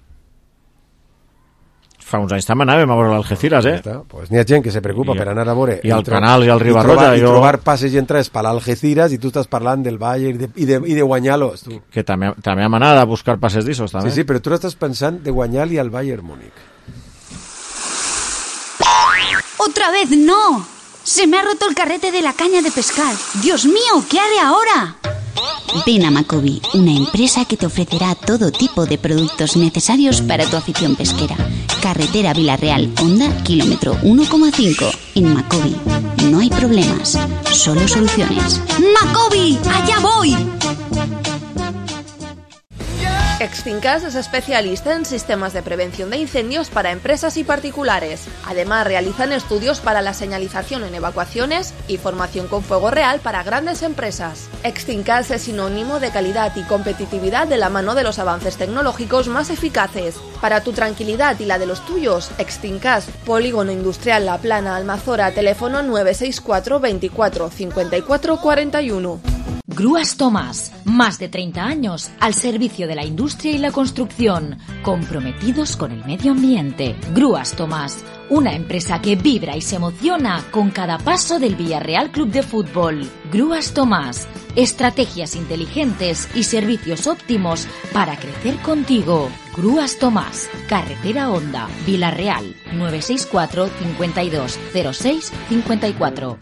Fa uns anys també anàvem a veure l'Algeciras, Pues n'hi ha gent que se preocupa per anar a veure... I al Canal i al Ribarroja... I trobar passes i entrades per l'Algeciras i tu estàs parlant del Bayern i de guanyar-los, tu. Que també hem anat a buscar passes d'issos, també. Sí, però tu estàs pensant de guanyar-li al Bayern Múnich. ¡Otra vez no! Se me ha roto el carrete de la caña de pescar. ¡Dios mío! ¿Qué haré ahora? Ven a Macobi, una empresa que te ofrecerá todo tipo de productos necesarios para tu afición pesquera. Carretera Villarreal, Honda, kilómetro 1,5. En Macobi no hay problemas, solo soluciones. ¡Macobi! ¡Allá voy! Extincas es especialista en sistemas de prevención de incendios para empresas y particulares. Además, realizan estudios para la señalización en evacuaciones y formación con fuego real para grandes empresas. Extincas es sinónimo de calidad y competitividad de la mano de los avances tecnológicos más eficaces. Para tu tranquilidad y la de los tuyos, Extincas, Polígono Industrial La Plana, Almazora, teléfono 964 24 54 41. Grúas Tomás, más de 30 años al servicio de la industria y la construcción, comprometidos con el medio ambiente. Grúas Tomás, una empresa que vibra y se emociona con cada paso del Villarreal Club de Fútbol. Grúas Tomás, estrategias inteligentes y servicios óptimos para crecer contigo. Grúas Tomás, Carretera Honda, Villarreal, 964 52 06 54.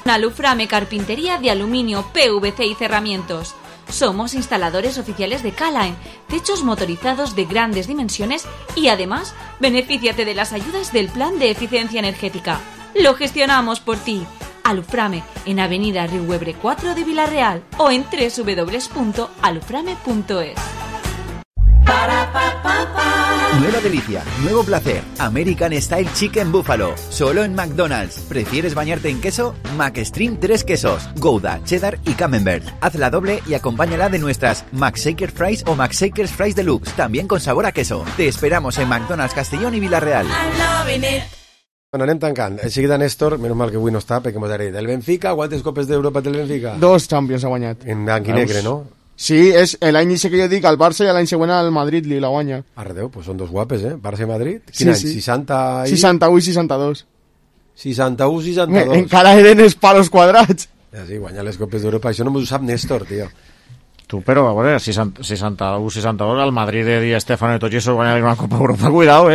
Aluframe Carpintería de Aluminio, PVC y Cerramientos. Somos instaladores oficiales de Calaen, techos motorizados de grandes dimensiones y además, benefíciate de las ayudas del Plan de Eficiencia Energética. Lo gestionamos por ti. Aluframe en Avenida Riuebre 4 de Villarreal o en www.aluframe.es. Nueva delicia, nuevo placer, American Style Chicken Buffalo, solo en McDonald's. ¿Prefieres bañarte en queso? McStream 3 quesos, Gouda, Cheddar y Camembert. Hazla doble y acompáñala de nuestras McShaker Fries o McShakers Fries Deluxe, también con sabor a queso. Te esperamos en McDonald's Castellón y Villarreal. Bueno, anem tancant. De seguida, Néstor, menys mal que avui no està, perquè m'ho diré. Del Benfica, quantes copes d'Europa té el Benfica? 2 Champions ha guanyat. En blanc i negre, no? Sí, és l'any que jo dic al Barça i l'any següent al Madrid li la guanya. Arredeu, pues són dos guapes, Barça i Madrid. Quin any? 60 i... 61 i 62. 61 i 62. Encara eren els palos quadrats. Ja, sí, guanyar les copes d'Europa. Això no m'ho sap Néstor, tio. Tu, però, a veure, 61-62, al Madrid de Di Stéfano i tots esos guanyar una Copa Europa, cuidado,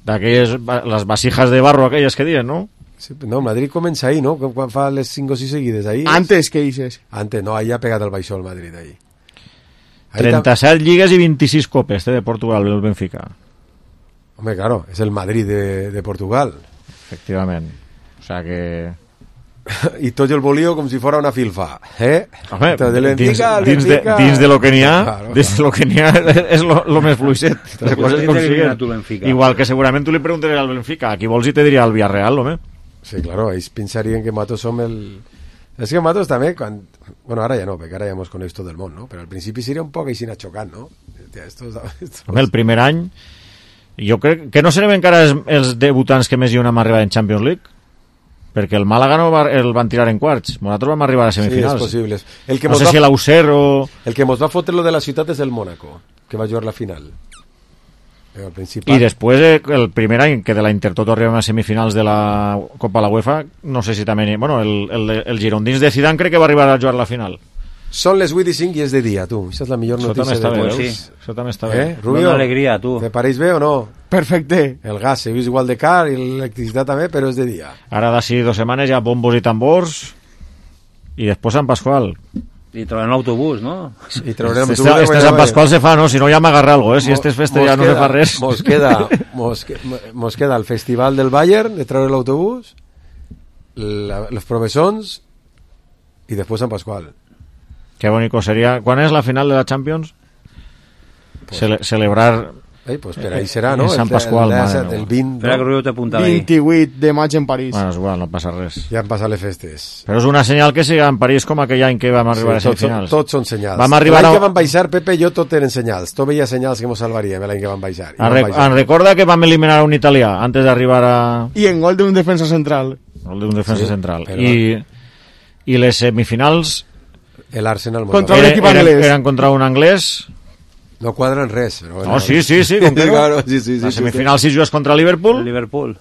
d'aquelles, les vasijas de barro aquelles que diuen, no? Sí, no, Madrid comença ahí, ¿no? Quan fa les 5 o 6 seguides, ahí. Antes, ¿qué dices? Antes, no, ahí ha pegat el baixó el Madrid, ahí. 37 lligues i 26 copes de Portugal, el Benfica. Hombre, claro, es el Madrid de Portugal. Efectivament. O sea que... I tot el volío com si fora una filfa, Home, Benfica, dins de lo que n'hi ha, claro. Dins de lo que n'hi ha és lo més fluixet. Igual que segurament tu li preguntaries al Benfica, a qui vols i te diria al Villarreal, home. Sí, claro, ells pensarien que nosaltres som el... És que nosaltres també, quan... Bueno, ara ja no, perquè ara ja mos coneix tot el món, no? Però al principi seria un poc així xocant, no? Home, el primer any, jo crec que no serem encara els debutants que més hi hem arribat en Champions League, perquè el Màlaga no el van tirar en quarts, nosaltres vam arribar a semifinals. Sí, és possible. No sé si l'Auxerre o... El que mos va fotre lo de la ciutat és el Mónaco, que va jugar la final. I després, el primer any que de la Intertoto arribem a semifinals de la Copa de la UEFA, no sé si també... Bueno, el Girondins de Zidane crec que va arribar a jugar la final. Són les 8:05 i és de dia, tu. Això és la millor notícia de tots. Sí, això també està bé. Rubio, una alegria, tu. ¿Te pareix bé o no? Perfecte. El gas se vist igual de car i l'electricitat també, però és de dia. Ara d'ací 2 setmanes ja bombos i tambors i després Sant Pasqual. I trobarem l'autobús, no? I trobarem este Sant Pasqual se fa, no? Si no ja m'agarra algo, Si este és festa ja no se fa res. Mos queda el Festival del Bayern, de treure l'autobús, los provessons i després Sant Pasqual. Qué bonito sería. ¿Cuándo es la final de la Champions? Pues, celebrar. Pues per ahí serà, no? En Sant Pasqual, el 20. Espera que Rubio t'apunta ahí. 28 de maig en París. Bueno, és igual, no passa res. Ja han passat les festes. Però és una senyal que siga en París com aquell any que vam arribar a semifinals. Tots són senyals. L'any que vam baixar, Pepe i jo tot eren senyals. Tot veia senyals que mos salvaríem l'any que vam baixar. En recorda que vam eliminar un italià antes d'arribar a... I en gol d'un defensa central. Gol d'un defensa central. I les semifinals... L'Arsenal contra un equip anglès. Eren contra un anglès. No quadren res. Però bueno. No, sí. Claro, sí, la semifinal si jugues contra Liverpool.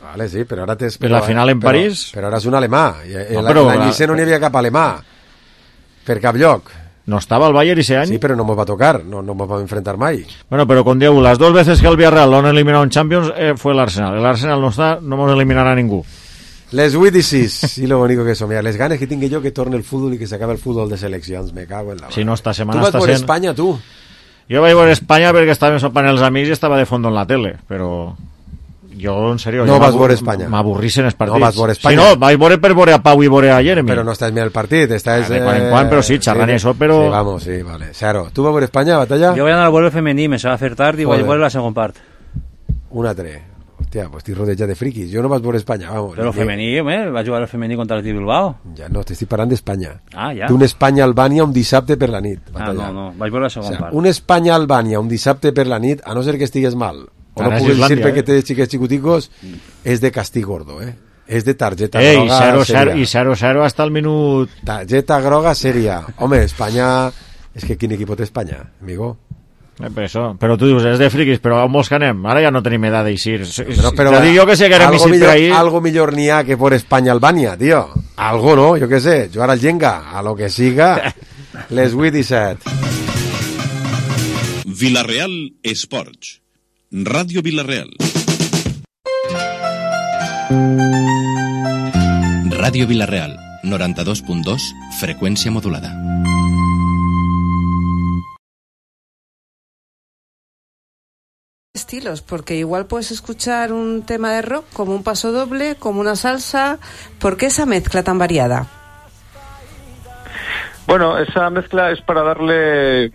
Vale, sí, però ara tens... la final en París. Però ara és un alemà. L'any no n'hi havia cap alemà. Per cap lloc. No estava el Bayern ese any. Sí, però no mos va tocar. No mos va enfrentar mai. Bueno, pero con Diego, las 2 veces que el Villarreal lo han eliminado en Champions fue el Arsenal. El Arsenal no está, no mos eliminarà ningú. Les 8:06, i lo bonico que som. Les ganes que tinc jo que torni el futbol i que s'acabi el futbol de seleccions, me cago en la... Si no, esta setmana està sent... Tu vas por Espanya, tu? Jo vaig por Espanya perquè estàvem sopant els amics i estava de fondo en la tele, però jo, en sèrio... No vas veure Espanya. M'avorrissen els partits. No vas veure Espanya. Si no, vaig veure a Pau i veure a Jeremy. Però no estàs mirant el partit, estàs... De quan en quan, però sí, xerrant això, però... Sí, vamos, sí, vale. Cero. Tu vas veure Espanya, Batalla? Jo vaig anar a veure el femení, me se va fer tard i vaig veure la segona part. 1-3. Hòstia, pues estic rodejat de friquis. Jo no vaig veure Espanya, vamos. Però el femení, vaig jugar el femení contra el Bilbao. Ja no, t'estic parlant d'Espanya. Ah, ja. D'un Espanya-Albània un dissabte per la nit. Batalla. No, vaig veure la segona part. Un Espanya-Albània un dissabte per la nit, a no ser que estigues mal, o no puguis dir perquè tens xiquets xicoticos, és de castig gordo, és de targeta groga seria. I 0-0 hasta el minut... Targeta groga seria. Home, Espanya... És que quin equip té Espanya, amigo? Però tu dius, és de friquis, però on vols que anem? Ara ja no tenim edat d'eixir. Però dic jo que sé que érem millor, per ahir... Algo millor n'hi ha que por Espanya-Albània, tío. Algo, no? Jo què sé, jugar al Jenga, a lo que siga, les 8 i 7. Villarreal Esports. Ràdio Villarreal. Ràdio Villarreal, 92.2, freqüència modulada. Estilos, porque igual puedes escuchar un tema de rock como un paso doble, como una salsa. ¿Por qué esa mezcla tan variada? Bueno, esa mezcla es para darle,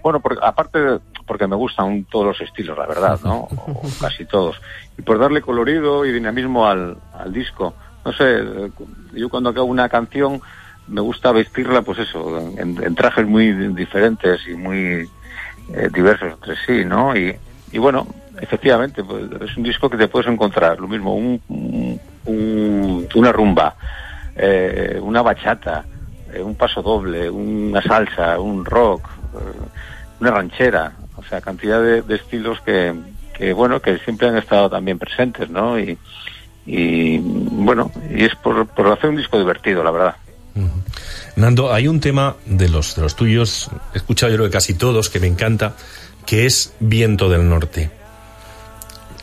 porque me gustan todos los estilos, la verdad, ¿no? O casi todos. Y por darle colorido y dinamismo al disco. No sé, yo cuando acabo una canción me gusta vestirla, pues eso, en trajes muy diferentes y muy diversos entre sí, ¿no? Y bueno, efectivamente, pues es un disco que te puedes encontrar, lo mismo, una rumba, una bachata, un paso doble, una salsa, un rock, una ranchera, o sea, cantidad de estilos que siempre han estado también presentes, ¿no? Y bueno, y es por hacer un disco divertido, la verdad. Nando, hay un tema de los tuyos, he escuchado yo creo que casi todos, que me encanta, que es Viento del Norte.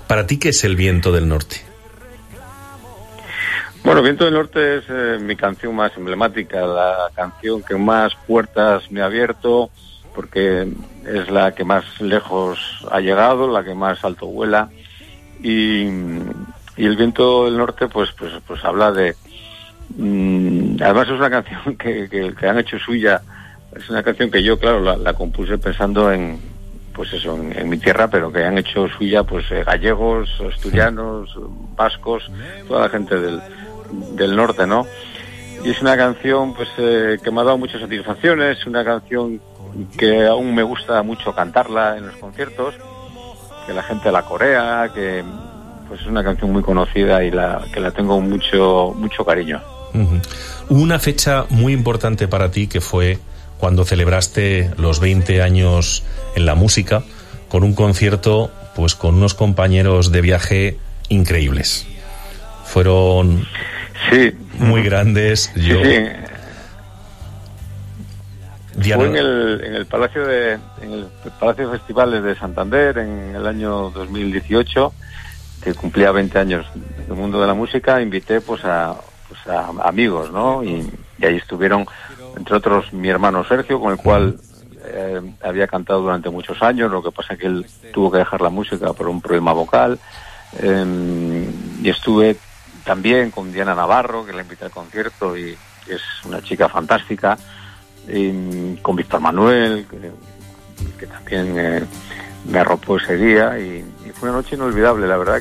¿Para ti qué es el Viento del Norte? Bueno, Viento del Norte es mi canción más emblemática, la canción que más puertas me ha abierto, porque es la que más lejos ha llegado, la que más alto vuela, y el Viento del Norte pues habla de... además es una canción que han hecho suya, es una canción que yo, claro, la compuse pensando en mi tierra, pero que han hecho suya pues gallegos, asturianos, vascos, toda la gente del norte, ¿no? Y es una canción pues que me ha dado muchas satisfacciones, una canción que aún me gusta mucho cantarla en los conciertos, que la gente la corea, que pues es una canción muy conocida y que la tengo mucho cariño. Uh-huh. Hubo una fecha muy importante para ti que fue cuando celebraste los 20 años en la música, con un concierto pues con unos compañeros de viaje increíbles. Fueron muy grandes. Sí. Diana... Fue en el Palacio de Festivales de Santander en el año 2018, que cumplía 20 años del mundo de la música. Invité pues a amigos, ¿no? Y ahí estuvieron, entre otros, mi hermano Sergio, con el cual había cantado durante muchos años. Lo que pasa es que él tuvo que dejar la música por un problema vocal. Y estuve también con Diana Navarro, que la invité al concierto y es una chica fantástica. Y con Víctor Manuel, que también me arropó ese día. Y fue una noche inolvidable, la verdad